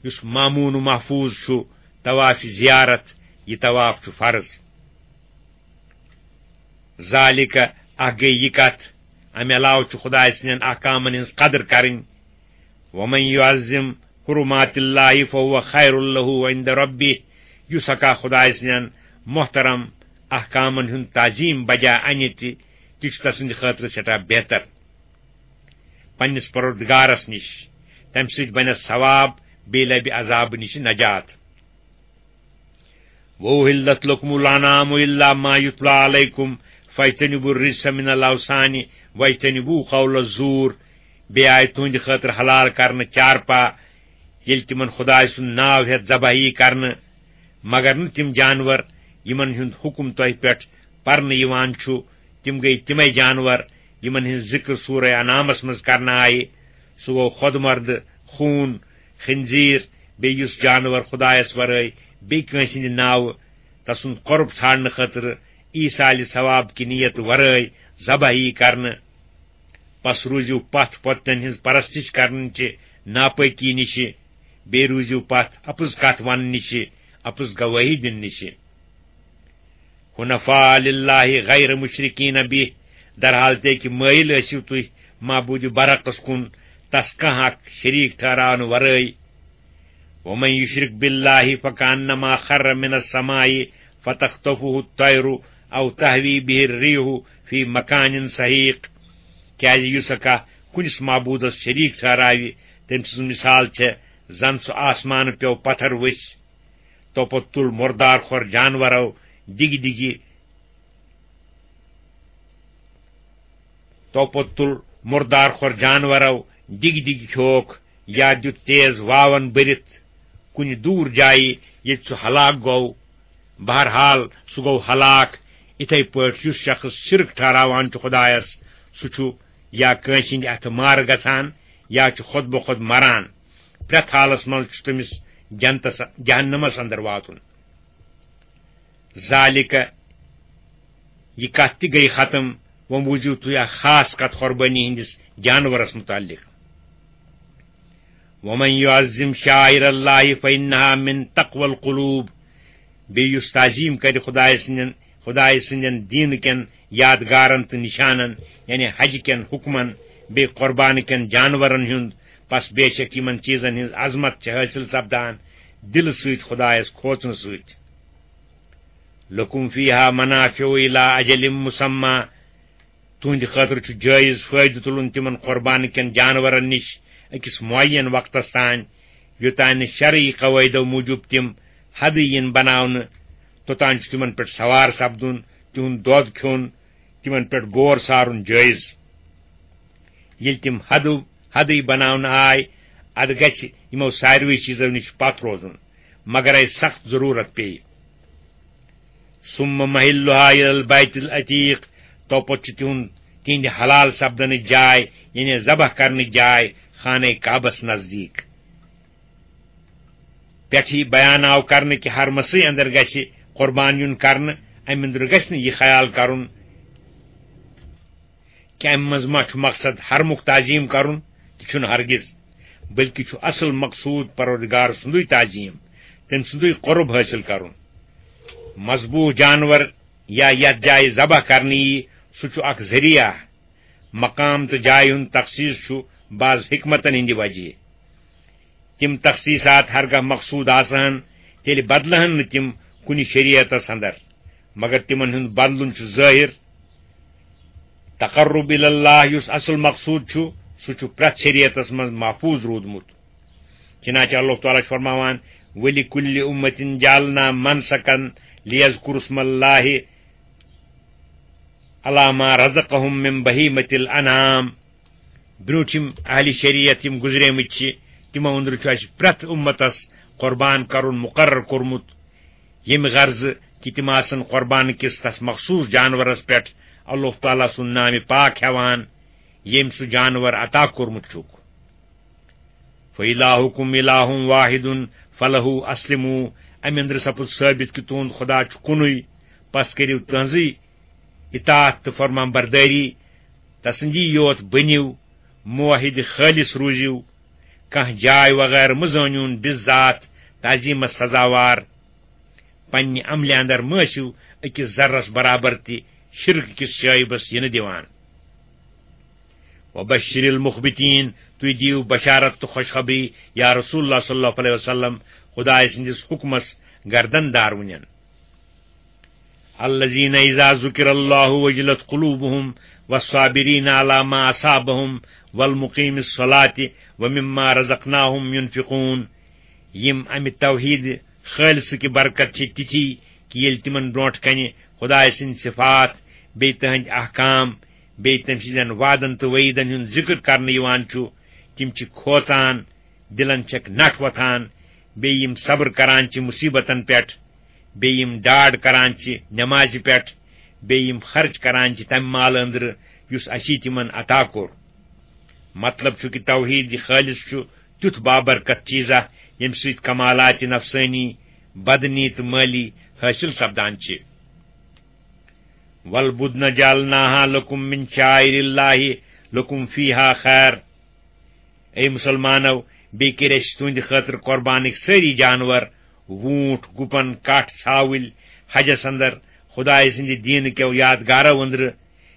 یُس مامون و محفوظ چھُ، طواف زیارت، یہِ طواف چھُ فرض۔ ذالک، اکھ گٔے یہِ کتھ، امہِ علاوٕ چھُ خدایہِ سٕنٛدٮ۪ن احکامن ہٕنٛز قدر کرٕنۍ۔ ومن يعظم حرمات الله فهو خير له عند ربه، یُس ہکا خدایہِ سٕنٛدٮ۪ن محترم احکامن ہُنٛد تعظیم بجا انہِ تہِ، تہِ چھُ تسٕنٛدِ خٲطرٕ سٮ۪ٹھاہ بہتر پننِس پروردگارس نِش۔ تمہِ سۭتۍ بنٮ۪س ثواب، بیٚیہِ لبہِ عذابہٕ نِش نجات۔ وأحلت لكم الأنعام إلا ما يتلى عليكم فاجتنبوا الرجس من الأوثان واجتنبوا قول الزور۔ بیٚیہِ آیہِ تُہنٛدِ خٲطرٕ حلال کرنہٕ چارپا، ییٚلہِ تِمن خدایہِ سُنٛد ناو ہٮ۪تھ ذبح یی کرنہٕ، مگر نہٕ تِم جانور، یِمن ہُنٛد حُکم تۄہہِ پٮ۪ٹھ پرنہٕ یِوان چھُ، تِم گٔے تِمے جانور، یِمن ہٕنٛز ذِکر سورہ انعامس منٛز کرنہٕ آیہِ۔ سُہ گوٚو خۄد مردٕ، خوٗن، خنزیر، بیٚیہِ یُس جانور خدایس ورٲے بیٚیہِ کٲنٛسہِ ہٕنٛدِ ناوٕ تسُنٛد قۄرب ژھانڈنہٕ خٲطرٕ ایٖصالِ ثواب کہِ نیت ورٲے ذبح یی کرنہٕ۔ پس روٗزِو پتھ پۄتنٮ۪ن ہٕنٛز پرستش کرنہٕ چہِ ناپٲکی نِشہِ، بیٚیہِ روٗزِو پتھ اپُز کتھ وننہٕ نِشہِ، اپُز گوٲہی دِنہٕ نِشہِ۔ حنفاء للہ غیر مشرکین بہ، درحال تہِ کہِ مٲیِل ٲسِو تُہۍ معبوٗدِ برحقس کُن، تس کانٛہہ اکھ شریٖک ٹھہراونہٕ ورٲے۔ ومن یشرک باللہ فکانما خر من السماء فتخطفه الطیر او تهوی به الريح في مكان سحيق۔ کیازِ یُس ہا کانٛہہ کُنِس معبوٗدس شریٖک ٹھہراوِ، تٔمۍ سٕنٛز مثال چھےٚ زن سُہ آسمانہٕ پیوٚو پتھر ؤسۍ۔ توپتہٕ تُل مُردار خور جانورو ڈِگہِ ڈِگہِ، توپتہٕ تُل مُردار خور جانورو ڈِگہِ ڈِگہِ کھیوکھ، یا دیُت تیز واون بٔرِتھ کُنہِ دوٗر جایہِ، ییٚتہِ سُہ ہلاک گوٚو۔ بہرحال، سُہ گوٚو ہلاک۔ اِتھے پٲٹھۍ یُس شخص شرک ٹھہراوان چھُ خدایس، سُہ چھُ یا کٲنٛسہِ ہٕنٛدِ اَتھٕ مارٕ گژھان، یا چھُ خۄد بخۄد مران۔ پرٛٮ۪تھ حالس منٛز چھُ تٔمِس جنتس، جہنمس اندر واتُن۔ ذالک، یہِ کتھ تہِ گٔیہِ ختم۔ وۄنۍ بوٗزِو تُہۍ اکھ خاص کتھ قۄربٲنی ہٕنٛدِس جانورس مُتعلق۔ ومن يعظم شعائر الله فإنها من تقوى القلوب۔ بیٚیہِ یُس تعظیٖم کرِ خدایہِ سٕنٛدٮ۪ن، خدایہِ سٕنٛدٮ۪ن دیٖنہٕ کٮ۪ن یادگارن تہٕ نِشانن، یعنی حج کٮ۪ن حُکمن، بیٚیہِ قۄربانہٕ کٮ۪ن جانورن ہُنٛد، پس بے شک یِمن چیٖزن ہٕنٛز عظمت چھِ حٲصِل سپدان دِلہٕ سۭتۍ خدایس کھوژنہٕ سۭتۍ۔ لکم فیہا منافع الی اجل مسمی، تُہنٛدِ خٲطرٕ چھُ جٲیِز فٲیدٕ تُلُن تِمن قۄربانہٕ کٮ۪ن جانورن نِش أکِس معین وقتس تام، یوٚتام نہٕ شرعی قواعدو موٗجوٗب تِم حدٕے یِن بناونہٕ، توٚتام چھُ تِمن پٮ۪ٹھ سوار سپدُن، تِہُنٛد دۄد کھیوٚن، تِمن پٮ۪ٹھ غور سارُن جٲیِز۔ ییٚلہِ تِم حدٕ، حدٕے بناونہٕ آے، ادٕ گژھِ یِمو ساروٕے چیٖزو نِش پتھ روزُن، مگر اَسہِ سخت ضروٗرت پیٚیہِ۔ ثم محلها الى البيت العتيق، توپتہٕ چھُ تِہُنٛد، تِہنٛدِ حلال سپدنٕچ جاے، یعنی ذبح کرنٕچ جاے، خانہ کعبس نزدیٖک۔ پٮ۪ٹھٕ یہِ بیان آو کرنہٕ کہِ حرمسٕے اندر گژھِ قربان یُن کرنہٕ، امہِ اندرٕ گژھِ نہٕ یہِ خیال کرُن کہِ امہِ منٛز ما چھُ مقصد حرمُک تعظیم کرُن، تہِ چھُنہٕ ہرگز، بلکہِ چھُ اصل مقصود پروردگار سُنٛدُے تعظیم، تٔمۍ سُنٛدُے قرب حٲصِل کرُن۔ مذبوح جانور یا یتھ جایہِ ذبح کرنہٕ یی، سُہ چھُ اکھ ذریعہ مقام تہٕ جایہِ ہُنٛد تخصیص چھُ بعض حکمتن ہٕنٛدِ وجہ۔ تِم تخصیصات ہرگاہ مقصود آسہٕ ہن، تیٚلہِ بدلہٕ ہن نہٕ تِم کُنہِ شریعتس اندر، مگر تِمن ہُنٛد بدلُن چھُ ظٲہر۔ تقرب الی اللہ یُس اصل مقصود چھُ، سُہ چھُ پرٛٮ۪تھ شریعتس منٛز محفوظ روٗدمُت۔ چنانچہ اللہ تعالیٰ چھُ فرماوان، "ولکل امۃ جعلنا منسکا لیذکروا اسم اللہ علی ما رزقہم من بہیمۃ الانعام۔" برونٹھم اہل شریعت یم گزریمٕتۍ چھِ، تِمو أنٛدرٕ چھُ اَسہِ پرٛٮ۪تھ اُمتس قربان کرُن مقرر کوٚرمُت، ییٚمہِ غرضہٕ کہِ تِم آسن قربان کِس تس مخصوص جانورس پٮ۪ٹھ اللہ تعالیٰ سُنٛد نامِ پاک ہٮ۪وان، ییٚمۍ سُہ جانور عطا کوٚرمُت چھُکھ۔ "فإلہکم إلہ واحد فلہ اسلموا"، امہِ أنٛدرٕ سپُد ثٲبت کہِ تُہُنٛد خدا چھُ کُنُے، پس کٔرِو تہنٛزٕے اطاعت تہٕ فرمان بردٲری، تسٕنٛدی یوت بٔنِو، موحد خٲلص روٗزِو، کانٛہہ جاے وغٲرٕ مہٕ زٲنِوُن بالذات تعظیمس سزاوار۔ پننہِ عملہِ اندر مہٕ ٲسِو أکِس ذرس برابر تہِ شرک کِس شعیبس یِنہٕ دِوان۔ "وبشر المخبتین"، تُہۍ دِیِو بشارت تہٕ خوشخبری یا رسول اللہ صلی اللہ علیہ وسلم، خدائے سٕنٛدِس حکمس گردن دارونٮ۪ن۔ "الذین اذا ذکر اللہ وجلت قلوبہم والصابرین علی ما اصابہم والمقیم الصلاۃ ومما رزقناہم ینفقون"، یِم امہِ توحید خالصہٕ کہِ برکت چھِ تِتھی کہِ ییٚلہِ تِمن برونٛٹھ کنہِ خدایہِ سٕنٛدۍ صفات، بیٚیہِ تِہنٛدۍ احکام، بیٚیہِ تٔمۍ سٕنٛدٮ۪ن وعدن تہٕ وعیدن ہُنٛد ذکر کرنہٕ یِوان چھُ، تِم چھِ کھوژان، دِلن چھکھ نٹھ وۄتھان، بیٚیہِ یِم صبر کران چھِ مصیبتن پٮ۪ٹھ، بیٚیہِ یِم ڈاڈ کران چھِ نمازِ پٮ۪ٹھ، بیٚیہِ یِم خرچ کران چھِ تمہِ مالہٕ أنٛدرٕ یُس اسی تِمن عطا کوٚر۔ مطلب چھُ کہِ توحید خالص چھُ تیُتھ بابرکت چیزا، ییٚمہِ سۭتۍ کمالات نفسانی، بدنی تہٕ مٲلی حٲصِل سپدان چھِ۔ "والبدن جعلناها لكم من شعائر الله لكم فيها خير"، اے مسلمانو، بیٚیہِ کٔرۍ اَسہِ تُہنٛدِ خٲطرٕ قربانٕکۍ سٲری جانور، ووٗنٛٹھ، گُپن، کٹھ، ژھاوٕلۍ، حجس اندر خدایہِ سٕنٛدِ دیٖنہٕ کیو یادگارو أنٛدرٕ۔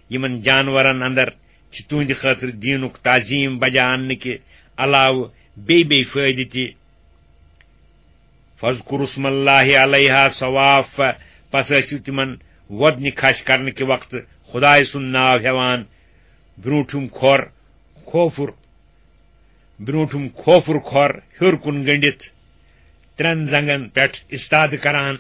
یِمن جانورن اندر چھِ تُہنٛدِ خٲطرٕ دیٖنُک تعظیم بجا اننہٕ کہِ علاوٕ بیٚیہِ بیٚیہِ فٲیدٕ تہِ۔ "فاذکروا اسم اللہ علیہا صواف"، پس ٲسِو تِمن وۄدنہِ کھش کرنہٕ کہِ وقتہٕ خدایہِ سُنٛد ناو ہٮ۪وان۔ برونٛٹھِم کھۄر کھوفُر، برونٛٹھِم کھوفُر کھۄر ہیوٚر کُن گٔنڈِتھ، ترٛٮ۪ن زنٛگن پٮ۪ٹھ استادٕ کران۔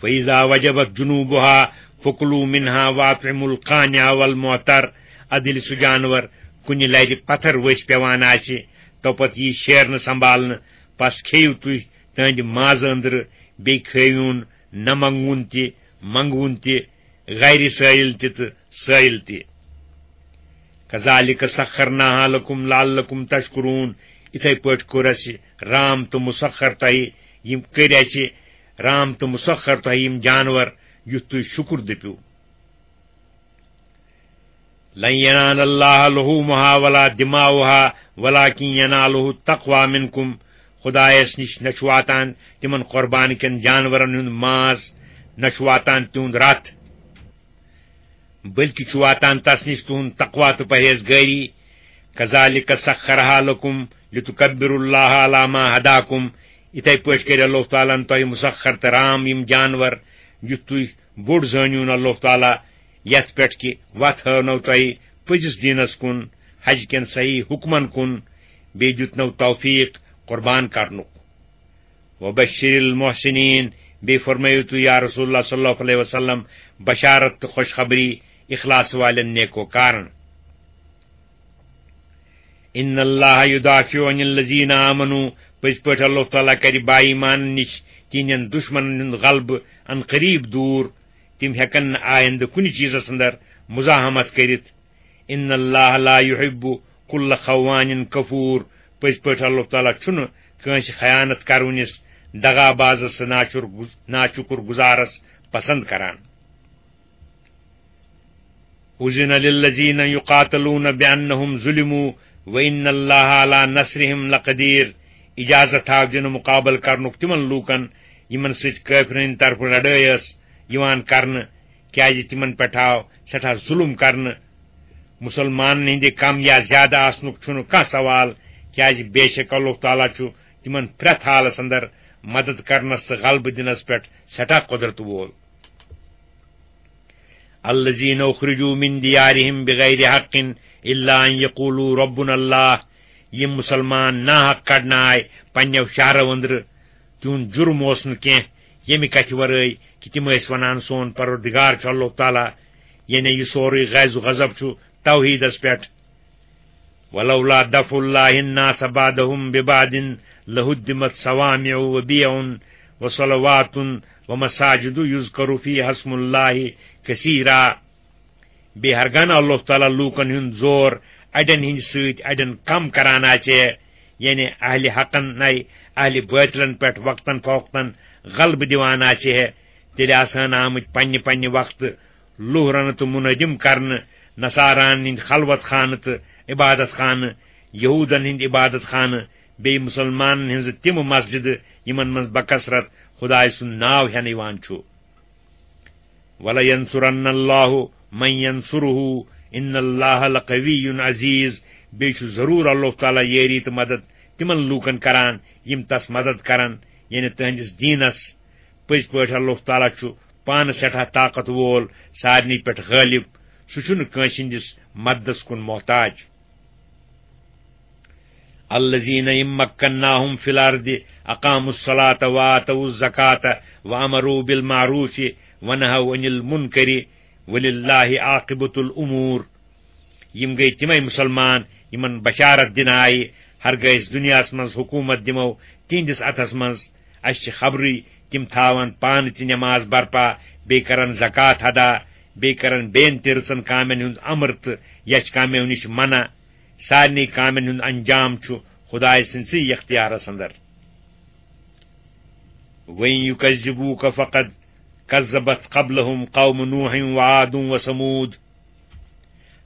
"فإذا وجبت جنوبها فكلوا منها وأطعموا القانع والمعتر"، ادٕ ییٚلہِ سُہ جانور کُنہِ لرِ پتھر ؤسۍ پٮ۪وان آسہِ، توپتہٕ یی شیرنہٕ سنبھالنہٕ، پس کھیٚیِو تُہۍ تہنٛدِ مازٕ أنٛدرٕ، بیٚیہِ کھیٚیِوُن نہ منٛگوُن تہِ، منٛگوُن تہِ، غیر سٲیِل تہِ تہٕ سٲیِل تہِ۔ "کذالک سخرناها لکم لعلکم تشکرون"، یِتھے پٲٹھۍ کوٚر اَسہِ رام تہٕ مسخر تۄہہِ، یِم کٔرۍ اَسہِ رام تہٕ مسخر تۄہہِ یِم جانور، یُتھ تُہۍ شُکُر دٔپِو۔ "لن ینال اللہ لحومها ولا دماؤها ولکن ینالہ التقوی منکم"، خدایس نِش نہ چھُ واتان تِمن قربان کٮ۪ن جانورن ہُنٛد ماز، نہ چھُ واتان تِہُنٛد رتھ، بلکہِ چھُ واتان تس نِش تُہُنٛد تقوی تہٕ پرہیزگٲری۔ "کذالک سخرها لکم لتکبروا اللہ علی ما ہداکم"، یِتھے پٲٹھۍ کٔرۍ اللہ تعالیٰ ہن تۄہہِ مسخر تہٕ رام یِم جانور، یُتھ تُہۍ بوٚڑ زٲنِوُن اللہ تعالیٰ، یتھ پٮ۪ٹھ کہِ وتھ ہٲونو تۄہہِ پٔزِس دیٖنس کُن، حج کٮ۪ن صحیح حکمن کُن، بیٚیہِ دیُتنو توفیق قربان کرنُک۔ "وبشر المحسنین"، بیٚیہِ فرمٲیِو تُہۍ یا رسول اللہ صلی اللہ علیہ وسلم بشارت تہٕ خوشخبری اخلاص والٮ۪ن نیکوکارن۔ "ان اللہ یدافع عن الذین آمنوا"، پٔزۍ پٲٹھۍ اللہ تعالیٰ کرِ با ایمانن نِش تِہنٛدٮ۪ن دشمنن ہُنٛد غلبہٕ ان قریب دوٗر، تِم ہٮ۪کن نہٕ آیندٕ کُنہِ چیزس اندر مزاحمت کٔرِتھ۔ "ان اللہ لا یحب کل خوان کفور"، پٔزۍ پٲٹھۍ اللہ تعالیٰ چھُنہٕ کٲنٛسہِ خیانت کرونِس، دغا بازس تہٕ ناشُر گز-، ناشُکر گزارس پسند کران۔ "اذن للذین یقاتلون بانہم ظلموا وان اللہ علی نصرہم لقدیر"، اجازت تھاو دِنہٕ مقابل کرنُک تِمن لوٗکن یِمن سۭتۍ کٲفرن ہٕنٛدِ طرفہٕ لڑٲے ٲس یِوان کرنہٕ، کیازِ تِمن پٮ۪ٹھ آو سٮ۪ٹھاہ ظُلُم کرنہٕ۔ مُسلمانن ہٕنٛدِ کم یا زیادٕ آسنُک چھُنہٕ کانٛہہ سوال، کیازِ بے شک اللہ تعالیٰ چھُ تِمن پرٛٮ۪تھ حالس اندر مدد کرنس تہٕ غلبہٕ دِنس پٮ۪ٹھ سٮ۪ٹھاہ قۄدرت وول۔ الذين أخرجوا من ديارهم بغير حق إلا أن يقولوا ربنا الله۔ یِم مُسلمان ناحق کڑنہٕ آے پننیو شہرو أنٛدرٕ، تِہُنٛد جُرم اوس نہٕ کینٛہہ ییٚمہِ کتھِ ورٲے کہِ تِم ٲسۍ ونان، سون پروردگار چھُ اللہ تعالیٰ، یعنی یہِ سورُے غیظ و غضب چھُ توحیٖدس پٮ۪ٹھ۔ ولولا دفع الله الناس بعضهم ببعض لهدمت صوامع وبيع وصلوات ومساجد يذكر فيها اسم الله كثيرا۔ بیٚیہِ ہرگاہ نہٕ اللہ تعالیٰ لوٗکن ہُنٛد زور اڑٮ۪ن ہٕنٛدِ سۭتۍ اڑٮ۪ن کم کران آسہِ ہے، یعنی اہلِ حقن نَے اہلِ باطلن پٮ۪ٹھ وقتاً فوقتاً غلبہٕ دِوان آسہِ ہے، تیٚلہِ آسہٕ ہن آمٕتۍ پننہِ پننہِ وقتہٕ لوٗہ رنہٕ تہٕ منٲدِم کرنہٕ، نصاران ہٕنٛدۍ خلوت خانہٕ تہٕ عبادت خانہٕ، یہوٗدن ہٕنٛدۍ عبادت خانہٕ، بیٚیہِ مُسلمانن ہٕنٛزٕ تِم مسجدٕ یِمن منٛز بکثرت خدایہِ سُنٛد ناو ہٮ۪نہٕ یِوان چھُ۔ وَلَيَنصُرَنَّ اللَّهُ مَن يَنصُرُهُ إِنَّ اللَّهَ لَقَوِيٌّ عَزِيزٌ۔ بیٚیہِ چھُ ضروٗر اللہ تعالیٰ یٲری تہٕ مدد تِمن لوٗکن کران یِم تس مدد کرن، یعنی تہنٛدِس دیٖنس۔ پٔزۍ پٲٹھۍ اللہ تعالیٰ چھُ پانہٕ سٮ۪ٹھاہ طاقت وول، سارنٕے پٮ۪ٹھ غٲلب۔ سُہ چھُنہٕ کٲنٛسہِ ہٕنٛدِس مددس کُن محتاج۔ الذين إن مكناهم في الأرض أقاموا الصلاة وآتوا الزكاة وأمروا بالمعروف ونهوا عن المنكر ولله عاقبة الأمور۔ یِم گٔے تِمے مُسلمان یِمن بشارت دِنہٕ آیہِ، ہرگاہ أسۍ دُنیاہس منٛز حکوٗمت دِمو تِہنٛدِس اَتھس منٛز۔ اَسہِ چھِ خبرٕے، تِم تھاوَن پانہٕ تہِ نماز برپا، بیٚیہِ کرن زکوٰۃ ادا، بیٚیہِ کرن بیٚین تہِ رٕژن کامٮ۪ن ہُنٛد امر تہٕ یَچھِ کامیو نِش منع۔ سارنٕے کامٮ۪ن ہُنٛد انجام چھُ خدایہِ سٕنٛدسٕے اختیارس اندر۔ وَإِن يُكَذِّبُوكَ فَقَدْ كَذَّبَتْ قَبْلَهُمْ قَوْمُ نُوحٍ وَعَادٌ وَثَمُودُ۔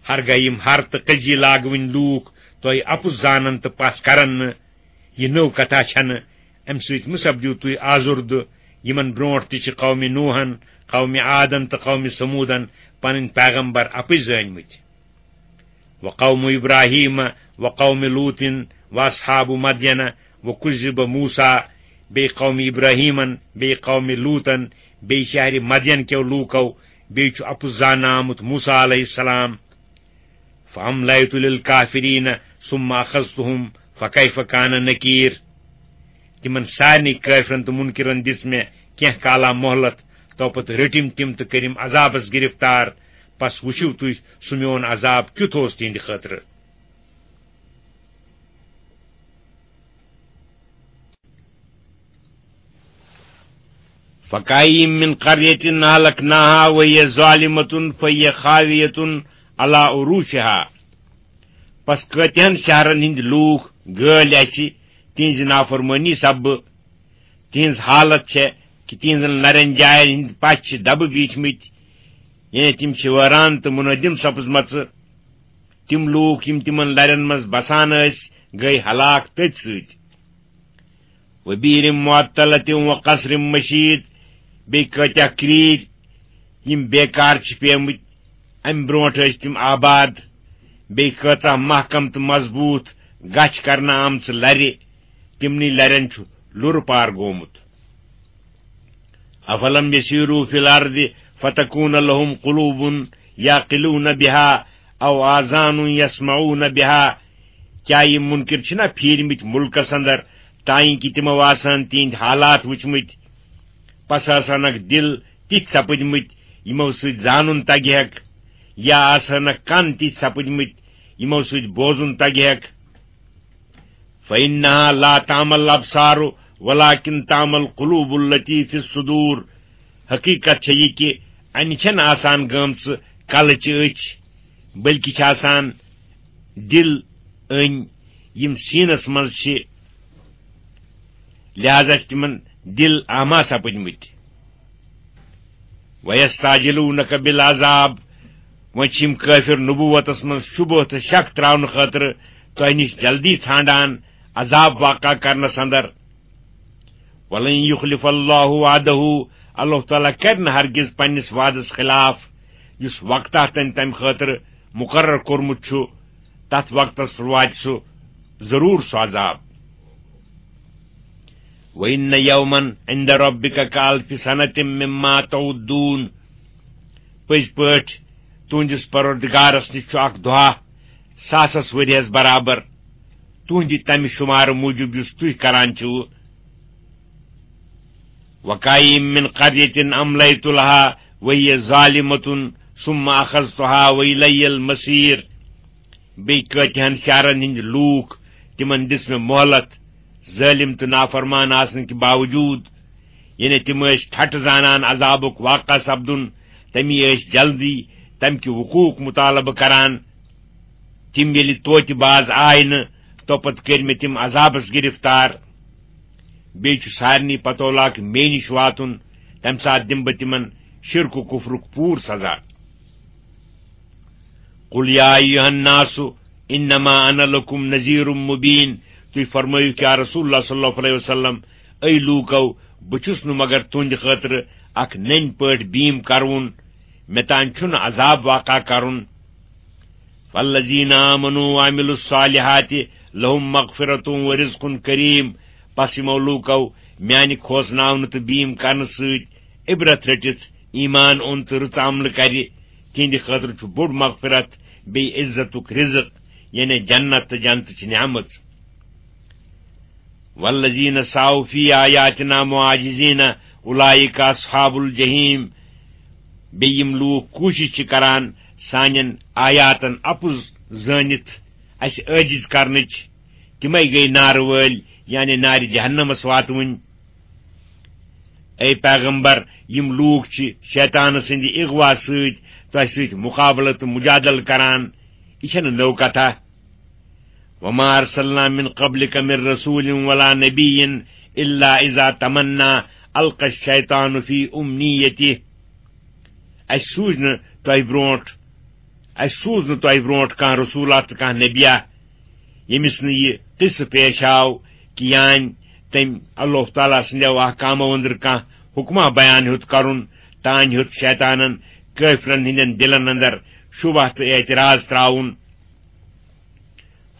ہرگاہ یِم ہر تہٕ کٔجی لاگوٕنۍ لوٗکھ تۄہہِ اَپُز زانن تہٕ پَژھ کرن نہٕ، یہِ نٔو کتھا چھنہٕ، امہِ سۭتۍ مہ سپدِو تُہۍ آزُردٕ۔ یِمن برونٹھ تہِ چھِ قومِ نوحن، قومِ عادن تہٕ قومِ ثمودن پنٕنۍ پیغمبر اپٕز زٲنمٕتۍ۔ وقوم ابراہیم وقوم لوط واصحاب مدین وکذب موسیٰ، بیٚیہِ قومِ ابراہیمن، بیٚیہِ قومِ لوطن، بیٚیہِ شہرِ مدین کیو لوٗکو، بیٚیہِ چھُ اپُز زاننہٕ آمُت موسیٰ علیہ السلام۔ فَأَمْلَيْتُ لِلْكَافِرِينَ ثُمَّ أَخَذْتُهُمْ فَكَيْفَ كَانَ نَكِيرِ۔ تِمن سارنٕے کٲفرن تہٕ مُنکِرن دِژ مےٚ کینٛہہ کالا مۄہلت، تو پتہٕ رٔٹِم تِم تہٕ کٔرِم عذابس گرفتار۔ پس وٕچھِو تُہۍ سُہ میون عذاب کیُتھ اوس تِہنٛدِ خٲطرٕ۔ فَكَأَيِّن مِّن قَرْيَةٍ أَهْلَكْنَاهَا وَهِيَ ظَالِمَةٌ فَهِيَ خَاوِيَةٌ عَلَىٰ عُرُوشِهَا۔ پس کۭتیاہن شہرن ہٕنٛدۍ لوٗکھ گٲلۍ اَسہِ تِہنٛزِ نافرمٲنی سببہٕ۔ تِہنٛز حالت چھےٚ کہِ تِہنٛزن لرٮ۪ن جاین ہٕنٛدۍ پچھ چھِ دبہٕ بیٖٹھمٕتۍ، یعنی تِم چھِ وٲران تہٕ مُنٲدِم سپٕزمژٕ۔ تِم لوٗکھ یِم تِمن لرٮ۪ن منٛز بسان ٲسۍ، گٔے ہلاک تٔتھۍ سۭتۍ۔ وَبِئْرٍ مُّعَطَّلَةٍ وَقَصْرٍ مَّشِيدٍ، بیٚیہِ کۭتیاہ کرٛیٖرۍ یِم بیکار چھِ پیمٕتۍ، اَمہِ برونٛٹھ ٲسۍ تِم آباد، بیٚیہِ کۭژاہ محکم تہٕ مضبوٗط گچھ کرنہٕ آمژٕ لرِ، تِمنٕے لرٮ۪ن چھُ لُرٕ پار گوٚمُت۔ أَفَلَمْ يَسِيرُوا فِي الْأَرْضِ فَتَكُونَ لَهُمْ قُلُوبٌ يَعْقِلُونَ بِهَا أَوْ آذَانٌ يَسْمَعُونَ بِهَا، کیٛاہ یِم مُنکِر چھِنا پھیٖرمٕتۍ مُلکس اندر، تانۍ کہِ تِمو آسہٕ ہن تِہنٛدۍ حالات وٕچھمٕتۍ؟ پس آسہٕ ہنکھ دِل تِتھۍ سپٕدمٕتۍ، یِمو سۭتۍ زانُن تگہِ ہیکھ، یا آسہٕ ہنکھ کن تِتھۍ سپٕدمٕتۍ، یِمو سۭتۍ بوزُن تگہِ ہیکھ۔ فَإِنَّهَا لَا تَعْمَى الْأَبْصَارُ وَلَٰكِن تَعْمَى الْقُلُوبُ الَّتِي فِي الصُّدُورِ۔ حقیقت چھےٚ یہِ کہِ اَنہِ چھَنہٕ آسان گٲمژٕ کلٕچہِ أچھ، بلکہِ چھِ آسان دِل أنۍ، یِم سیٖنس منٛز چھِ، لہذا چھِ تِمن دِل اعمیٰ سپٕدمٕتۍ۔ وَيَسْتَعْجِلُونَكَ بِالْعَذَابِ، وۄنۍ چھِ یِم کٲفِر نبوتس منٛز شبہٕ تہٕ شک تراونہٕ خٲطرٕ تۄہہِ نِش جلدی ژھانڈان عذاب واقع کرنس اندر۔ وَلَن يُخْلِفَ اللَّهُ وَعْدَهُ، اللہ تعالیٰ کرِ نہٕ ہرگز پننِس وعدس خلاف، یُس وقتہ تٔمۍ تمہِ خٲطرٕ مقرر کوٚرمُت چھُ، تتھ وقتس پٮ۪ٹھ واتہِ سُہ ضروٗر سُہ عذاب۔ وَإِنَّ يَوْمًا عِنْدَ رَبِّكَ كَأَلْفِ سَنَةٍ مِّمَّا تَعُدُّونَ۔ پٔزۍ پٲٹھۍ تُہنٛدِس پروردگارس نِش چھُ اکھ دۄہ ساسس ؤریس برابر، تُہنٛدِ تمہِ شُمارٕ موٗجوٗب یُس تُہۍ کران چھِو۔ وَكَأَيِّن مِّن قَرْيَةٍ أَمْلَيْتُ لَهَا وَهِيَ ظَالِمَةٌ ثُمَّ أَخَذْتُهَا وَإِلَيَّ الْمَصِيرُ۔ بیٚیہِ کۭتِہَن شہرن ہٕنٛدۍ لوٗکھ، تِمن دِژ مےٚ مۄہلت، ظٲلِم تہٕ نافرمان آسنہٕ کہِ باوجوٗد، یعنی تِم ٲسۍ ٹھٹہٕ زانان عذابُک واقع سپدُن، تٔمی ٲسۍ جلدی تَمہِ کہِ وقوٗعُک مُطالبہٕ کران۔ تِم ییٚلہِ توتہِ باز آے نہٕ، توپتہٕ کٔرۍ مےٚ تِم عذابس گِرفتار۔ بیٚیہِ چھُ سارنٕے پتولہٕ مےٚ نِش واتُن، تَمہِ ساتہٕ دِمہٕ بہٕ تِمن شرک و کفرُک پوٗرٕ سزا۔ قل یا ایھا الناس انما انا لکم نذیر مبین۔ تُہۍ فرمٲیِو، کیا رسول اللہ صلی اللہ علیہ وسلم، اے لوٗکو، بہٕ چھُس نہٕ مگر تُہنٛدِ خٲطرٕ اکھ نٔنۍ پٲٹھۍ بیٖم کرون، مےٚ تام چھُنہٕ عذاب واقع کرُن۔ فالذین آمنوا وعملوا الصالحات لهم مغفرة ورزق کریم۔ پس یِمو لوٗکو میانہِ کھوژناونہٕ تہٕ بیٖم کرنہٕ سۭتۍ عبرت رٔٹِتھ ایمان اوٚن تہٕ رٕژ عملہٕ کرِ، تِہنٛدِ خٲطرٕ چھُ بوٚڑ مغفرت بیٚیہِ عزتُک رزق، یعنی جنت تہٕ جنتٕچ نعمت۔ والذین سعوا فی آیاتنا معاجزین اولئک اصحاب الجحیم۔ بیٚیہِ یِم لوٗکھ کوٗشِش چھِ کران سانٮ۪ن آیاتن اپُز زٲنِتھ اَسہِ عٲجِز کرنٕچ، تِمے گٔے نارٕ وٲلۍ، یعنی نارِ جہنمس واتوٕنۍ۔ اے پیغمبر، یِم لوٗکھ چھِ شیطان سٕنٛدِ اغوا سۭتۍ تۄہہِ سۭتۍ مقابلہٕ تہٕ مجادلہٕ کران، یہِ چھَنہٕ نٔو کتھا۔ وما ارسلنا من قبلک من رسول ولا نبی الا اذا تمنا القى الشیطان فی امنیتہ۔ اَسہِ سوٗز نہٕ تۄہہِ برونٛٹھ، اَسہِ سوٗز نہٕ تۄہہِ برونٛٹھ کانٛہہ رسولا تہٕ کانٛہہ نبیا، ییٚمِس نہٕ یہِ قصہٕ پیش آو کہِ یانۍ تٔمۍ اللہ تعالیٰ سٕنٛدیو احکامو أنٛدرٕ کانٛہہ حکمہ بیان ہیوٚت کرُن، تانۍ ہیوٚت شیطانن کٲفرن ہٕنٛدٮ۪ن دِلن اندر شبہ تہٕ اعتراض تراوُن۔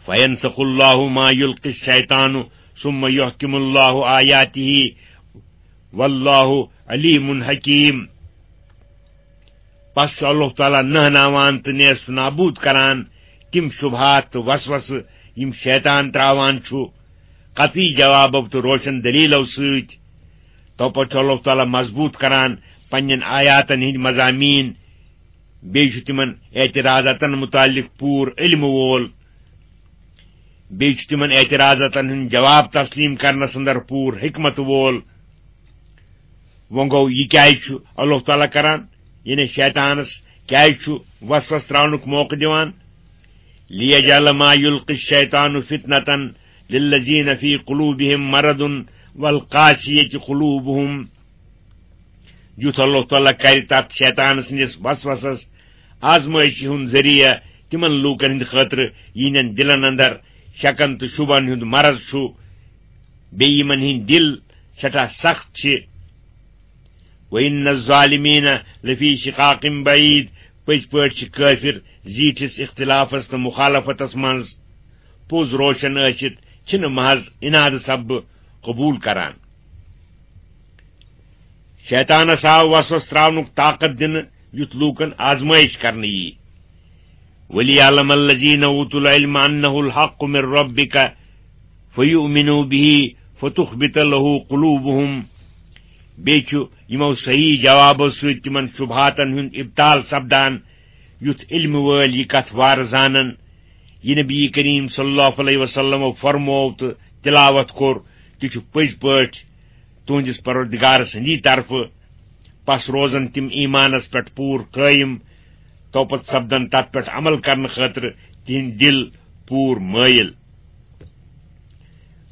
فینسخ اللہ ما یلقی الشیطان ثم یحکم اللہ آیاتہ واللہ علیم حکیم۔ پس چھُ اللہ تعالیٰ نہناوان تہٕ نیست نابود کران تِم شبہات تہٕ وسوسہٕ یِم شیطان تراوان چھُ قطعی جوابو تہٕ روشن دلیلو سۭتۍ۔ تو پتہٕ چھُ اللہ تعالیٰ مضبوط کران پننٮ۪ن آیاتن ہٕنٛدۍ مضامین، بیٚیہِ چھُ تِمن اعتراضاتن متعلق پوٗرٕ علم وول، بیٚیہِ چھُ تِمن اعتراضاتن ہُنٛد جواب تسلیم کرنس اندر پوٗرٕ حکمت وول۔ وۄنۍ گوٚو، یہِ کیازِ چھُ اللہ تعالیٰ کران، یعنی شیطانس کیازِ چھُ وسوس تراونُک موقعہٕ دِوان؟ لیجعل ما یلقی الشیطان فتنة للذین فی قلوبہم مرض والقاسیۃ قلوبہم۔ یُتھ اللہ تعالیٰ کرِ تتھ شیطان سٕنٛدِس وسوسس آزمٲیشہِ ہُنٛد ذٔریعہٕ تِمن لوٗکن ہٕنٛدِ خٲطرٕ، یِہنٛدٮ۪ن دِلن اندر شکن تہٕ شبن ہُنٛد مرض چھُ، بیٚیہِ یِمن ہٕنٛدۍ دِل سٮ۪ٹھاہ سخت چھِ۔ وَإِنَّ الظَّالِمِينَ لَفِي شِقَاقٍ بَعِيدٍ۔ پٔزۍ پٲٹھۍ چھِ کٲفِر زیٖٹھِس اختلافس تہٕ مخالفتس منٛز۔ پوٚز روشن ٲسِتھ چھِنہٕ محض اناد سببہٕ قبوٗل کران۔ شیطانس آو وسوس تراونُک طاقت دِنہٕ، یُتھ لوٗکن آزمٲیش کرنہٕ یی۔ وَلِيَعْلَمَ الَّذِينَ أُوتُوا الْعِلْمَ أَنَّهُ الْحَقُّ مِنْ رَبِّكَ فَيُؤْمِنُوا بِهِ فَتُخْبِتَ لَهُ قُلُوبُهُمْ۔ بیٚیہِ چھُ یِمو صحیح جوابو سۭتۍ تِمن شبہاتن ہُنٛد ابطال سپدان، یُتھ علم وٲلۍ یہِ کتھ وارٕ زانن۔ یہِ نبی کریم صلی اللہ علیہ وسلمو فرموو تہٕ تلاوت کوٚر، تہِ چھُ پٔزۍ پٲٹھۍ تُہنٛدِس پروردگار سٕنٛدی طرفہٕ۔ پس روزن تِم ایمانس پٮ۪ٹھ پوٗرٕ قٲیِم، توپتہٕ سپدن تتھ پٮ۪ٹھ عمل کرنہٕ خٲطرٕ تِہنٛدۍ دِل پوٗرٕ مٲیِل۔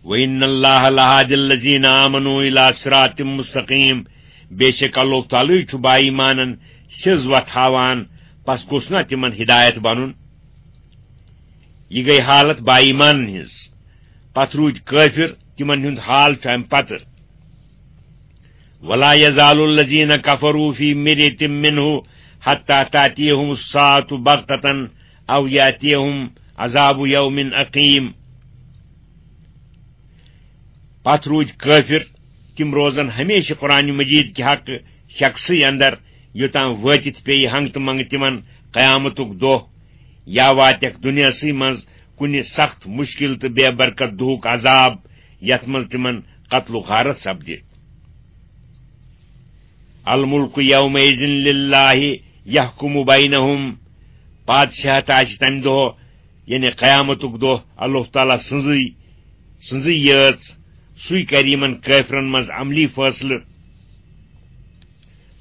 وَإِنَّ اللَّهَ لَهَادِ الَّذِينَ آمَنُوا إِلَىٰ صِرَاطٍ مُّسْتَقِيمٍ۔ بے شک اللہ تعالیٰ چھُ با ایمانن سیٚز وتھ ہاوان، پس گوٚژھ نا تِمن ہدایت بنُن؟ یہِ گٔے حالت با ایمانن ہٕنٛز۔ پتہٕ روٗدۍ کٲفِر، تِمن ہُنٛد حال چھُ امہِ پتہٕ۔ ولا يزال الذين كفروا في مرية منه حتى تأتيهم الساعة بغتة أو يأتيهم عذاب يوم أقيم۔ پتھ روٗدۍ کٲفِر، تِم روزن ہمیشہِ قرآن مجیٖد کہِ حق شخصٕے اندر، یوٚتام وٲتِتھ پیٚیہِ ہنٛگتہٕ منٛگہٕ تِمن قیامتُک دۄہ، یا واتٮ۪کھ دُنیاہسٕے منٛز کُنہِ سخت مُشکِل تہٕ بے برکت دۄہُک عذاب، یتھ منٛز تِمن قتل و غارت سپدِ۔ الملک یومئذ للہ یحکم بینہم، بادشاہت آسہِ تمہِ دۄہ، یعنی قیامتُک دۄہ، اللہ تعالیٰ سٕنٛزٕے، سٕنٛزٕے یٲژ، سُے کرِ یِمن کٲفرن منٛز عملی فٲصلہٕ۔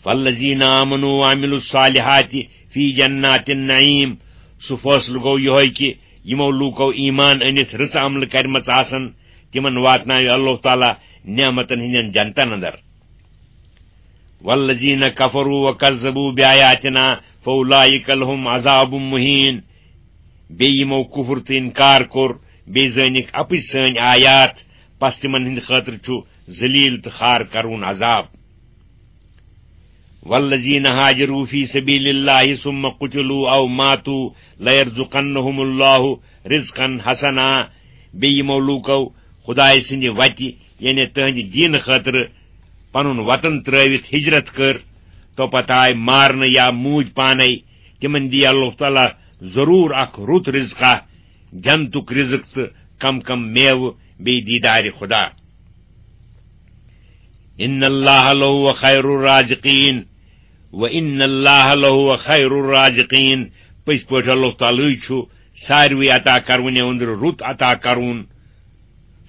فالذین آمنوا وعملوا الصالحات فی جنات النعیم، سُہ فٲصلہٕ گوٚو یِہوٚے کہِ یِمو لوٗکو ایمان أنِتھ رٕژٕ عملہٕ کرِمژٕ آسن، تِمن واتناوِ اللہ تعالیٰ نعمتن ہٕنٛدٮ۪ن جنتن اندر۔ والذین کفروا وکذبوا بآیاتنا فاولئک لهم عذاب مہین۔ بیٚیہِ یِمو کفر تہٕ انکار کوٚر، بیٚیہِ زٲنِکھ اپٕز سٲنۍ آیات، پس تِمن ہٕنٛدِ خٲطرٕ چھُ ذلیل تہٕ خار کرون عذاب۔ والذین هاجروا فی سبیل اللہ ثم قتلوا او ماتوا لیرزقنہم اللہ رزقا حسنا۔ بیٚیہِ یِمو لوٗکو خدایہِ سٕنٛدِ وتہِ، یعنی تٕہٕنٛدِ دیٖنہٕ خٲطرٕ، پنُن وطن ترٲوِتھ ہجرت کٔر، تو پتہٕ آے مارنہٕ یا موٗدۍ پانے، تِمن دِیہِ اللہ تعالیٰ ضروٗر اکھ رُت رزقا، جنتُک رزق تہٕ کم کم میوٕ، بیٚیہِ دیدارِ خدا۔ ان اللہ لہو خیر الرازقین، و ان اللہ لہو خیر الرازقین، پٔزۍ پٲٹھۍ اللہ تعالیٰ چھُ ساروٕے عطا کرونہِ اندرٕ رُت عطا کرون۔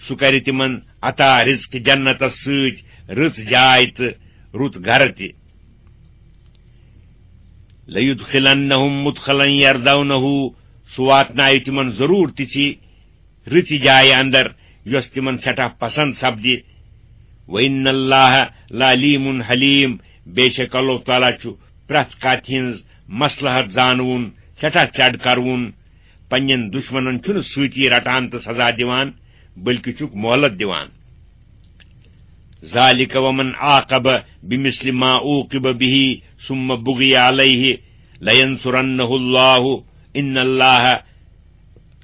سُہ کرِ تِمن عطا رزق جنتس سۭتۍ، رٕژ جاے تہٕ رُت گرٕ تہِ۔ لیدخلنہم مدخلا یردونہ، سُہ واتنایہِ تِمن ضروٗر تِژھِ رٕژِ جایہِ اندر، یۄس تِمن سٮ۪ٹھاہ پسند سپدِ۔ وان اللہ لعلیم حلیم، بے شک اللہ تعالیٰ چھُ پرٛٮ۪تھ کتھِ ہٕنٛز مصلحت زانوُن، سٮ۪ٹھاہ چڑ کرون۔ پننٮ۪ن دشمنن چھُنہٕ سۭتی رٹان تہٕ سزا دِوان، بلکہِ چھُکھ مۄہلت دِوان۔ ذالک ومن عاقب بمثل ما عوقب به ثم بغی علیہ لینصرنہ اللہ ان اللہ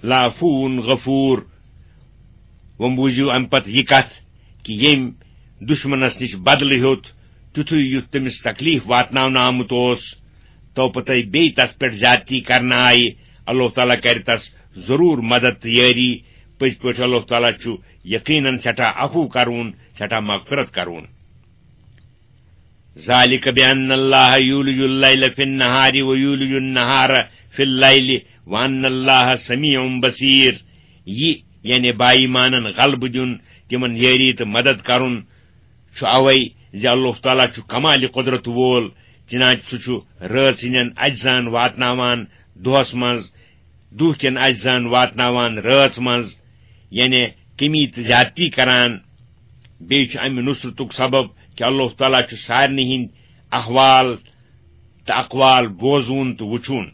لعفو غفور۔ وۄنۍ بوٗزِو اَمہِ پتہٕ یہِ کتھ کہِ ییٚمۍ دُشمنس نِش بدلہٕ ہیوٚت، تیُتھُے یُتھ تٔمِس تکلیف واتناونہٕ آمُت اوس، تو پتہٕ بیٚیہِ تس پٮ۪ٹھ زیادتی کرنہٕ آیہِ، اللہ تعالیٰ کرِ تس ضروٗر مدد تہٕ یٲری۔ پٔزۍ پٲٹھۍ اللہ تعالیٰ چھُ یقیناً سٮ۪ٹھاہ عفو کرون، سٮ۪ٹھاہ مغفرت کرون۔ ذالک بان اللہ یولج اللیل فی النہار و یولج النہار فی اللیل وان اللہ سمیع بصیر۔ یہِ، یعنی با ایمانن غلبہٕ دیُن، تِمن یٲری تہٕ مدد کرُن، چھُ اوے زِ اللہ تعالیٰ چھُ کمالِ قدرت وول، چنانچہ سُہ چھُ رٲژ ہٕنٛدٮ۪ن اجزاہن واتناوان دۄہس منٛز، دُہ کٮ۪ن اجزاہن واتناوان رٲژ منٛز، یعنی کمی تہٕ زیادتی کران۔ بیٚیہِ چھُ امہِ نصرتُک سبب کہِ اللہ تعالیٰ چھُ سارنٕے ہٕنٛدۍ احوال تہٕ اقوال بوزوُن تہٕ وُچھوُن۔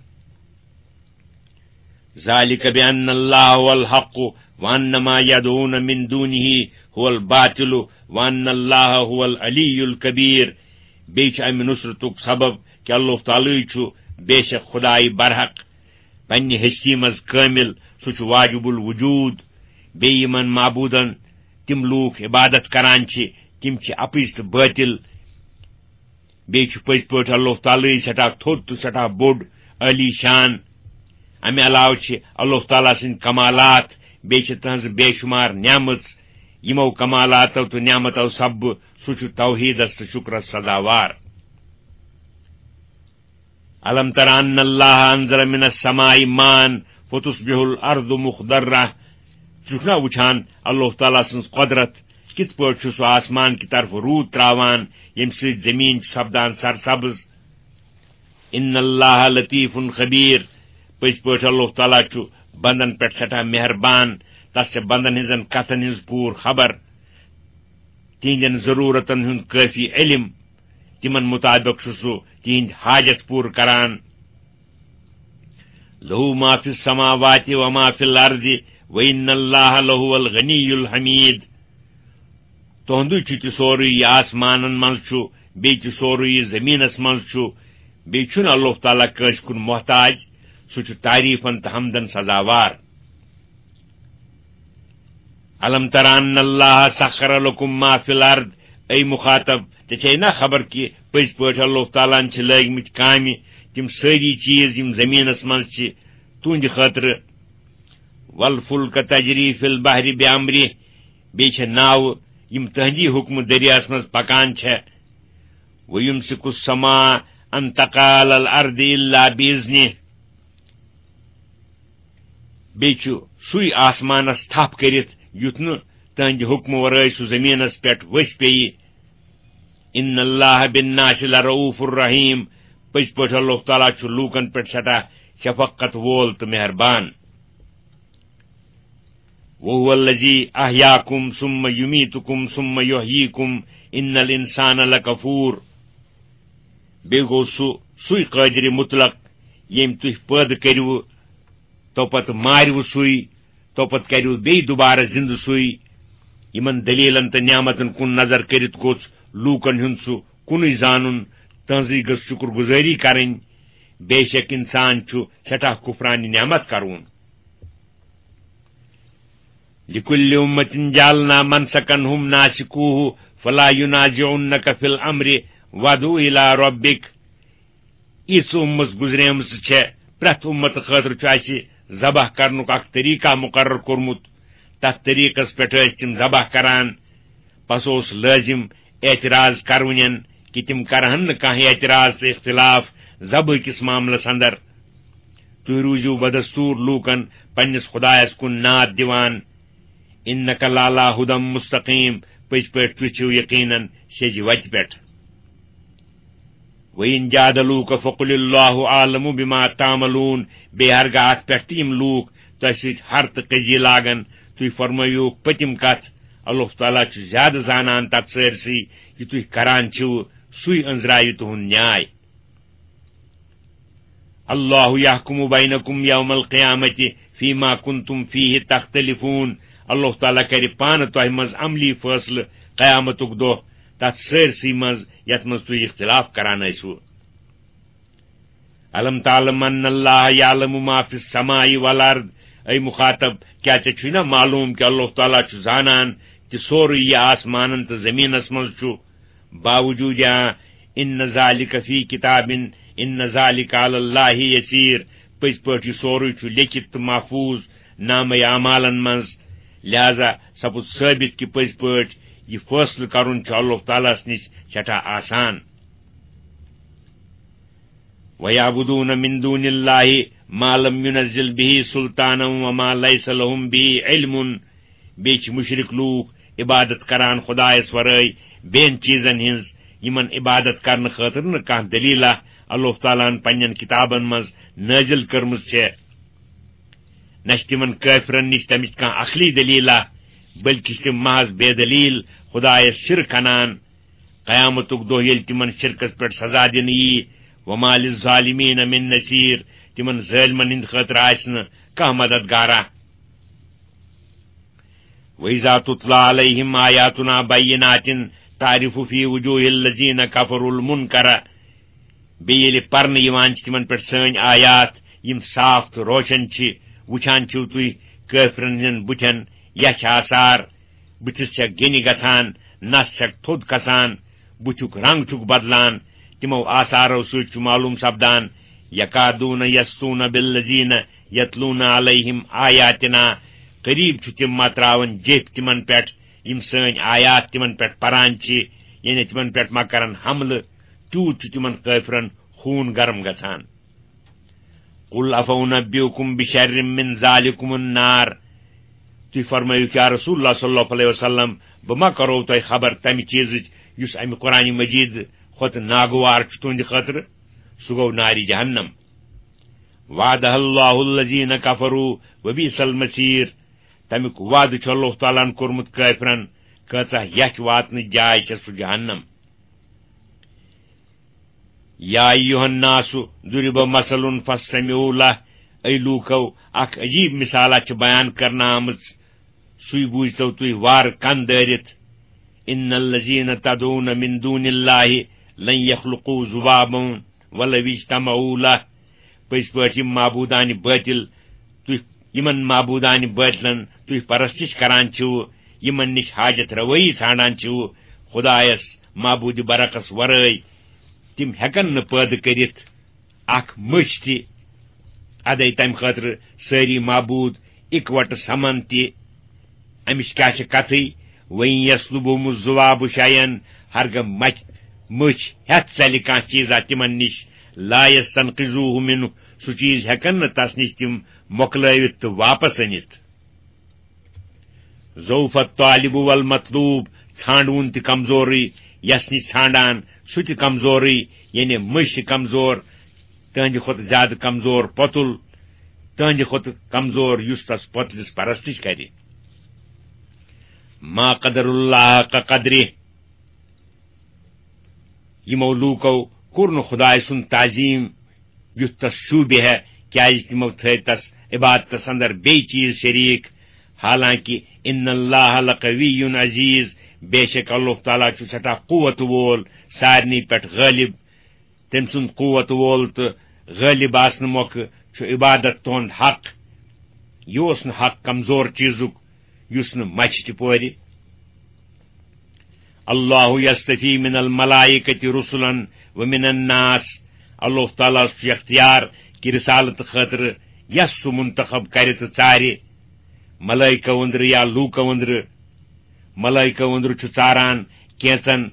ذالک بان اللہ هو الحق وان ما یدعون من دونه هو الباطل وان اللہ هو العلی الکبیر۔ بیٚیہِ چھُ امہِ نصرتُک سبب کہِ اللہ تعالیٰ چھُ بے شک خدایہِ برحق، پننہِ ہستی منٛز کٲمل، سُہ چھُ واجب الوجود۔ بیٚیہِ یِمن معبوٗدن تِم لوٗکھ عبادت کران چھِ، تِم چھِ اپٕز تہٕ بٲطل۔ بیٚیہِ چھُ پٔزۍ پٲٹھۍ اللہ تعالیٰ سٮ۪ٹھاہ تھوٚد تہٕ سٮ۪ٹھاہ بوٚڑ، عٲلی شان۔ امہِ علاوٕ چھِ اللہ تعالیٰ سٕنٛدۍ کمالات، بیٚیہِ چھِ تٕہٕنٛز بے شمار نعمژ۔ یِمو کمالاتو تہٕ نعمتو سببہٕ سُہ چھُ توحیٖدس تہٕ شُکرس سزاوار۔ الم تر ان اللہ انزل من السماء ماء فتصبح الارض مخضرہ۔ ژٕ چھُکھ نا وٕچھان اللہ تعالیٰ سٕنٛز قۄدرت، کِتھ پٲٹھۍ چھُ سُہ آسمان کہِ طرفہٕ روٗد تراوان، ییٚمہِ سۭتۍ زٔمیٖن چھِ سپدان سرسبز؟ ان اللہ لطیف خبیر، پٔزۍ پٲٹھۍ اللہ تعالیٰ چھُ بندن پٮ۪ٹھ سٮ۪ٹھاہ مہربان، تس چھِ بندن ہٕنٛزن کتھن ہٕنٛز پوٗرٕ خبر، تِہنٛدٮ۪ن ضروٗرتن ہُنٛد کٲفی علم، تِمن مُطابق چھُ سُہ تِہنٛدۍ حاجت پوٗرٕ کران۔ لہ ما فی السماوات و ما فی الارض و ان اللہ لہو الغنی الحمید۔ تُہُنٛدُے چھُ تہِ سورُے یہِ آسمانن منٛز چھُ، بیٚیہِ تہِ سورُے یہِ زٔمیٖنس منٛز چھُ، بیٚیہِ چھُنہٕ اللہ تعالیٰ کٲنٛسہِ کُن محتاج، سُہ چھُ تعریٖفن تہٕ حمدن سزاوار۔ الم تر ان اللہ سخر لکم ما فی الارض، اے مخاطب، ژےٚ چھے نا خبر کہِ پٔزۍ پٲٹھۍ اللہ تعالیٰ ہن چھِ لٲگۍ مٕتۍ کامہِ تِم سٲری چیٖز یِم زٔمیٖنس منٛز چھِ تُہنٛدِ خٲطرٕ۔ والفلک تجری فی البحر بامرہ، بیٚیہِ چھےٚ ناوٕ یِم تُہنٛدی حُکمہٕ دٔریاہَس منٛز پکان چھےٚ۔ وَیُمْسِکُ السَّمَاءَ أَن تَقَعَ عَلَى الْأَرْضِ إِلَّا بِإِذْنِهِ۔ بیٚیہِ چھُ سُے آسمانَس تھپھ کٔرِتھ، یُتھ نہٕ تُہنٛدِ حُکمہٕ ورٲے سُہ زٔمیٖنَس پٮ۪ٹھ ؤسۍ پیٚیہِ۔ إِنَّ اللَّهَ بِالنَّاسِ لَرَءُوفٌ رَحِيمٌ۔ پٔزۍ پٲٹھۍ اللہ تعالیٰ چھُ لوٗکَن پٮ۪ٹھ سٮ۪ٹھاہ شفقت وول تہٕ مہربان۔ وَهُوَ الَّذِي أَحْيَاكُمْ ثُمَّ يُمِيتُكُمْ ثُمَّ يُحْيِيكُمْ إِنَّ الْإِنسَانَ لَكَفُورٌ۔ بیٚیہِ گوٚو سُہ، سُے قٲدرِ مُطلق، ییٚمۍ تُہۍ پٲدٕ کٔرِوٕ، تو پتہٕ مارِوٕ سُے، تو پتہٕ کَرِوٕ بیٚیہِ دُبارٕ زِنٛدٕ سُے۔ یِمن دٔلیٖلن تہٕ نعمتن کُن نظر کٔرِتھ گوٚژھ لوٗکن ہُنٛد سُہ کُنُے زانُن، تہنٛزٕے گٔژھ شُکر گُزٲری کرٕنۍ۔ بے شک اِنسان چھُ سٮ۪ٹھاہ کُفرانہِ نعمت کرون۔ لِکُلِّ اُمَّتٍ جَعَلْنَا مَنْسَكًا هُمْ نَاسِكُوهُ فَلَا يُنَازِعُنَّكَ فِي الْأَمْرِ وَادْعُ إِلَىٰ رَبِّكَ۔ یِژھ اُمَت گُزریمٕژ چھےٚ، پرٛٮ۪تھ اُمَتہٕ خٲطرٕ چھُ اَسہِ ذبح کرنُک اکھ طریقہ مُقرر کوٚرمُت۔ تَتھ طریقس پٮ۪ٹھ ٲسۍ تِم ذبح کران۔ پس اوس لٲزِم اعتراض کرونٮ۪ن کہِ تِم کرہن نہٕ کانٛہہ اعتراض تہٕ اختلاف ذبحہٕ کِس معاملس اندر۔ تُہۍ روٗزِو بدستوٗر لوٗکن پننِس خدایس کُن ناد دِوان۔ إِنَّكَ لَعَلَىٰ هُدًى مُسْتَقِيمٌ، پٔزۍ پٲٹھۍ تُہۍ چھِو یقیناً سیٚزِ وتہِ پٮ۪ٹھ۔ وَإِنْ جَادَلُوكَ فَقُلِ اللَّهُ أَعْلَمُ بِمَا تَعْمَلُونَ۔ بیٚیہِ ہرگاہ اَتھ پٮ۪ٹھ تہِ یِم لوٗکھ تۄہہِ سۭتۍ ہر تہٕ قضیہِ لاگن، تُہۍ فرمٲیِو پٔتِم کتھ، اللہ تعالیٰ چھُ زیادٕ زانان تتھ سٲرسٕے یہِ تُہۍ کران چھِو، سُے أنٛزراوِ تُہُنٛد نیاے۔ اللہ یحکم بینکم یوم القیامت فیما کنتم فیہ تختلفون۔ اللہ تعالیٰ کرِ پانہٕ تۄہہِ منٛز عملی فٲصلہٕ قیامتُک دۄہ تتھ سٲرسٕے منٛز یتھ منٛز تُہۍ اختلاف کران ٲسِو۔ الم تعلم ان اللہ یعلم ما فی السماء والارض۔ اے مخاطب، کیا ژےٚ چھُے نا معلوم کہ اللہ تعالیٰ چھُ زانان تہِ سورُے یہِ آسمانن تہٕ زمینس منٛز چھُ؟ باوجود یا ان ذالک فی کتاب، ان ذالک علی اللہ یسیر، پٔزۍ پٲٹھۍ یہِ سورُے چھُ لیکھِتھ تہٕ محفوظ نامہ اعمالن منٛز۔ لہذا سپُد ثٲبت کہِ پٔزۍ پٲٹھۍ یہِ فٲصلہٕ کرُن چھُ اللہ تعالیٰ ہس نِش سٮ۪ٹھاہ آسان۔ وَيَعْبُدُونَ مِن دُونِ اللَّهِ مَا لَمْ يُنَزِّلْ بِهِ سُلْطَانًا وَمَا لَيْسَ لَهُم بِهِ عِلْمٌ۔ بیٚیہِ چھِ مُشرِک لوٗکھ عبادت کران خدایس ورٲے بیٚین چیٖزن ہٕنٛز، یِمن عبادت کرنہٕ خٲطرٕ نہٕ کانٛہہ دٔلیٖلہ اللہ تعالیٰ ہن پننٮ۪ن کتابن منٛز نٲزِل کٔرمٕژ چھےٚ۔ نہ چھِ تِمن کٲفرن نِش تمِچ کانٛہہ عقلی دٔلیٖلہ، بلکہِ چھِ تِم محض بے دٔلیٖل خدایس شِرک انان۔ قیامتُک دۄہ ییٚلہِ تِمن شِرکس پٮ۪ٹھ سزا دِنہٕ یِیہِ، وَمَا لِلظَّالِمِينَ مِن نَصِيرٍ، تِمن ظٲلمن ہٕنٛدِ خٲطرٕ آسہِ نہٕ کانٛہہ مددگارا۔ وَإِذَا تُتْلَىٰ عَلَيْهِمْ آيَاتُنَا بَيِّنَاتٍ تَعْرِفُ فِي وُجُوهِ الَّذِينَ كَفَرُوا الْمُنكَرَ۔ بیٚیہِ ییٚلہِ پرنہٕ یِوان چھِ تِمن پٮ۪ٹھ سٲنۍ آیات، یِم صاف تہٕ روشن چھِ، وُچھان چھِو تُہۍ کٲفرن ہٕنٛدٮ۪ن بُتھٮ۪ن یَچھ آثار، بُتھِس چھےٚ گیٚنہِ گژھان، نَس چھَکھ تھوٚد کھسان، بُتھیُک رنگ چھُکھ بدلان۔ تِمو آثارو سۭتۍ چھُ معلوم سپدان، یکادون یسطون بالذین یتلون علیہم آیاتنا، قریب چھُ تِم متراوان جیپھۍ تِمن پٮ۪ٹھ، یِم سٲنۍ آیات تِمن پٮ۪ٹھ پران چھِ، یعنی تِمن پٮ۪ٹھ ما کرن حملہٕ، تیوٗت چھُ تِمن کٲفرن خوٗن گرم گژھان۔ قل افانبئکم بشر من ذلکم النار۔ تُہۍ فرمٲیِو، یا رسول اللہ صلی اللہ علیہ وسلم، بہٕ ما کرو تۄہہِ خبر تمہِ چیٖزٕچ یُس امہِ قرآن مجید کھۄتہٕ ناگوار چھُ تُہنٛدِ خٲطرٕ؟ سُہ گوٚو نارِ جہنم۔ وعدہ اللہ الذین کفروا وبئس المصیر۔ تمیُک وعدٕ چھُ اللہ تعالیٰ ہن کوٚرمُت کٲفرن، کۭژاہ یَچھ واتنٕچ جاے چھےٚ سُہ جہنم۔ یا ایھا الناس ضرب مثل فاستمعوا لہ، اے لوٗکو، اکھ عجیب مثالہ چھِ بیان کرنہٕ آمٕژ، سُے بوٗزتو تُہۍ وارٕ کن دٲرِتھ۔ ان الذین تدعون من دون اللہ لن یخلقوا ذبابا ولو اجتمعوا لہ۔ پٔزۍ پٲٹھۍ یِم معبوٗدانہِ بٲطِل تُہۍ، یِمن معبوٗدانہِ بٲطِلن تُہۍ پرستش کران چھِو، یِمن نِش حاجت روٲیی ژھانڈان چھِو، خدایس معبوٗدِ برحقس ورٲے، تِم ہٮ۪کن نہٕ پٲدٕ کٔرِتھ اکھ مٔچھ تہِ۔ ادے تمہِ خٲطرٕ سٲری معبوٗد اِکوٹہٕ سمان تہِ۔ امِچ کیاہ چھِ کتھٕے؟ وَإِن يَسْلُبْهُمُ الذُّبَابُ شَيْئًا، ہرگاہ مچ-، مٔچھ ہٮ۪تھ ژلہِ کانٛہہ چیٖزا تِمن نِش، لَا يَسْتَنْقِذُوهُ مِنْهُ، سُہ چیٖز ہٮ۪کن نہٕ تس نِش تِم مۄکلٲوِتھ تہٕ واپس أنِتھ۔ ضعف الطالب والمطلوب، ژھانڈوُن تہِ کمزورٕے، یس نِش ژھانڈان سُہ تہِ کمزورٕے، یعنی مٔنٛزۍ چھِ کمزور، تہنٛدِ کھۄتہٕ زیادٕ کمزور پۄتُل، تہنٛدِ کھۄتہٕ کمزور یُس تس پۄتلِس پرستش کرِ۔ ما قدر اللہ حق قدرہ، یِمو لوٗکو کوٚر نہٕ خدایہِ سُنٛد تعظیٖم یُتھ تس شوٗبہِ ہے، کیازِ تِمو تھٲوۍ تس عبادتس اندر بیٚیہِ چیٖز شریٖک۔ حالانکہ ان اللہ لقوی عزیز، بے شک اللہ تعالیٰ چھُ سٮ۪ٹھاہ قوت وول، سارنٕے پٮ۪ٹھ غٲلب۔ تٔمۍ سُنٛد قوت وول تہٕ غٲلب آسنہٕ مۄکھٕ چھُ عبادت تُہُنٛد حق۔ یہِ اوس نہٕ حق کمزور چیٖزُک، یُس نہٕ مچھِ تہِ پورِ۔ اللہ یستفی من الملائکۃ رسلا ومن الناس، اللہ تعالیٰ ہس چھُ اختیار کہِ رسالت خٲطرٕ یس سُہ منتخب کرِ تہٕ ژارِ، ملائکہ أنٛدرٕ یا لوٗکو أنٛدرٕ۔ ملائکہ أنٛدرٕ چھُ ژاران کینٛژن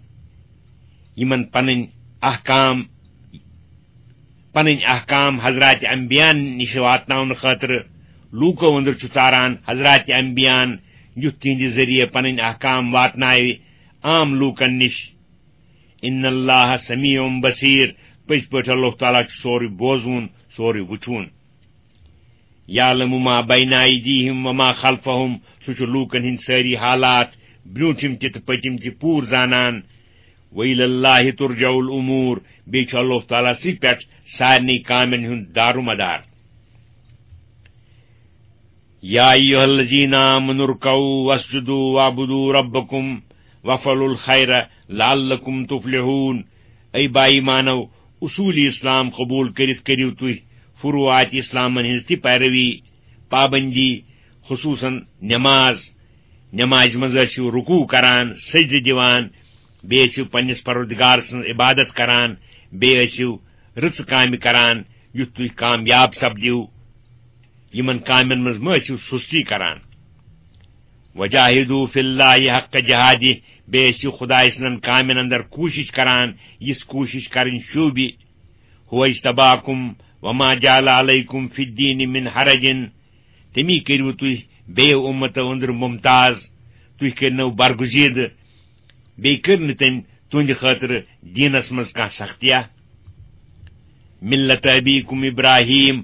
یِمن پنٕنۍ احکام، پنٕنۍ احکام حضرات انبیاءن نِش واتناونہٕ خٲطرٕ۔ لوٗکو أنٛدرٕ چھُ ژاران حضرات انبیاءن، یُتھ تِہنٛدِ ذٔریعہٕ پنٕنۍ احکام واتناوِ عام لوٗکن نِش۔ ان اللہ سمیع بصیر، پٔزۍ پٲٹھۍ اللہ تعالیٰ چھُ سورُے بوزوُن، سورُے وُچھوُن۔ یعلم ما بین ایدیہم وما خلفہم، سُہ چھُ لوٗکن ہٕنٛدۍ سٲری حالات، برٛونٛٹھِم تہِ تہٕ پٔتِم تہِ پوٗرٕ زانان۔ وإلی اللہ ترجع الامور، بیٚیہِ چھُ اللہ تعالیٰ سٕے پٮ۪ٹھ سارنٕے کامٮ۪ن ہُنٛد دارومدار۔ یا ایھا الذین آمنوا ارکعوا واسجدوا واعبدوا ربکم وافعلوا الخیر لعلکم تفلحون۔ اے با ایمانو، اصوٗلِ اسلام قبوٗل کٔرِتھ کٔرِو تُہۍ فروعاتِ اسلامن ہٕنٛز تہِ پیروی، پابندی، خصوٗصاً نماز۔ نمازِ منٛز ٲسِو رکوع کران، سجدٕ دِوان، بیٚیہِ ٲسِو پننِس پروردگار سٕنٛز عبادت کران، بیٚیہِ ٲسِو رٕژٕ کامہِ کران، یُتھ تُہۍ کامیاب سپدِو۔ یِمن کامٮ۪ن منٛز مہ ٲسِو سُستی کران۔ وجاہدوا فی اللہ حق جہادہ، بیٚیہِ ٲسِو خدایہِ سٕنٛزن کامٮ۪ن اندر کوٗشِش کران، یِژھ کوٗشِش کرٕنۍ شوٗبہِ۔ هو اجتباکم وما جعل علیکم فی الدین من حرج، تٔمی کٔرِو تُہۍ بیٚیو اُمتو أنٛدرٕ ممتاز، تُہۍ کٔرنو برگزیدٕ، بیٚیہِ کٔر نہٕ تٔمۍ تُہنٛدِ خٲطرٕ دیٖنس منٛز کانٛہہ سختیا۔ ملت ابیکم ابراہیم،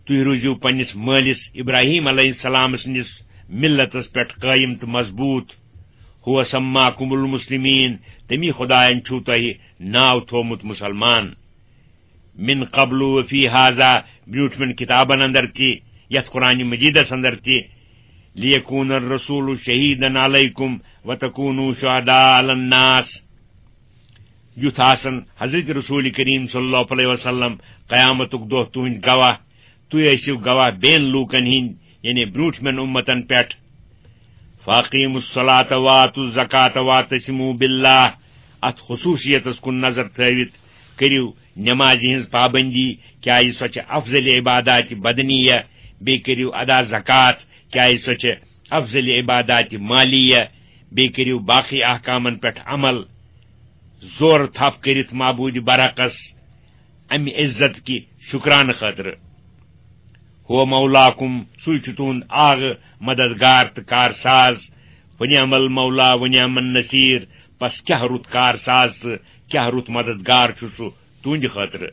تُہۍ روٗزِو پننِس مٲلِس ابراہیم علیہ السلام سٕنٛدِس ملتس پٮ۪ٹھ قٲیِم تہٕ مضبوٗط۔ هو سماکم المسلمین، تٔمی خدایَن چھُو تۄہہِ ناو تھوومُت مُسلمان۔ من قبل وفی ہذا، برٛونٛٹھمٮ۪ن کِتابن اندر تہِ، یتھ قرآن مجیدس اندر تہِ، لیکون الرسول شہیدن علیکم وتکونوا شہداء علی الناس۔ یُتھ آسن حضرت رسول کریم صلی اللہ علیہ وسلم قیامتُک دۄہ تُہنٛدۍ گواہ، تُہۍ ٲسِو گواہ بیٚین لوٗکن ہٕنٛدۍ، یعنی برٛونٛٹھمٮ۪ن اُمتن پٮ۪ٹھ۔ فاقیموا الصلاۃ وآتوا الزکاۃ واعتصموا باللہ۔ اتھ خصوصیتس کُن نظر تھٲوِتھ کٔرِو نمازِ ہٕنٛز پابندی، کیازِ سۄ چھِ افضل عبادات بدنیہ۔ بیٚیہِ کٔرِو ادا زکوٰۃ، کیازِ سۄ چھِ افضل عبادات مالیہ۔ بیٚیہِ کٔرِو باقی احکامن پٮ۪ٹھ عمل۔ زورٕ تھپھ کٔرِتھ معبوٗدِ برحقس امہِ عزت کہِ شُکرانہٕ خٲطرٕ۔ ہو مولاکم، سُے چھُ تُہُنٛد آغہٕ، مددگار تہٕ کارساز۔ ونعم المولا ونعم النصیر، پس کیاہ رُت کارساز تہٕ کیاہ رُت مددگار چھُ سُہ تُہنٛدِ خٲطرٕ۔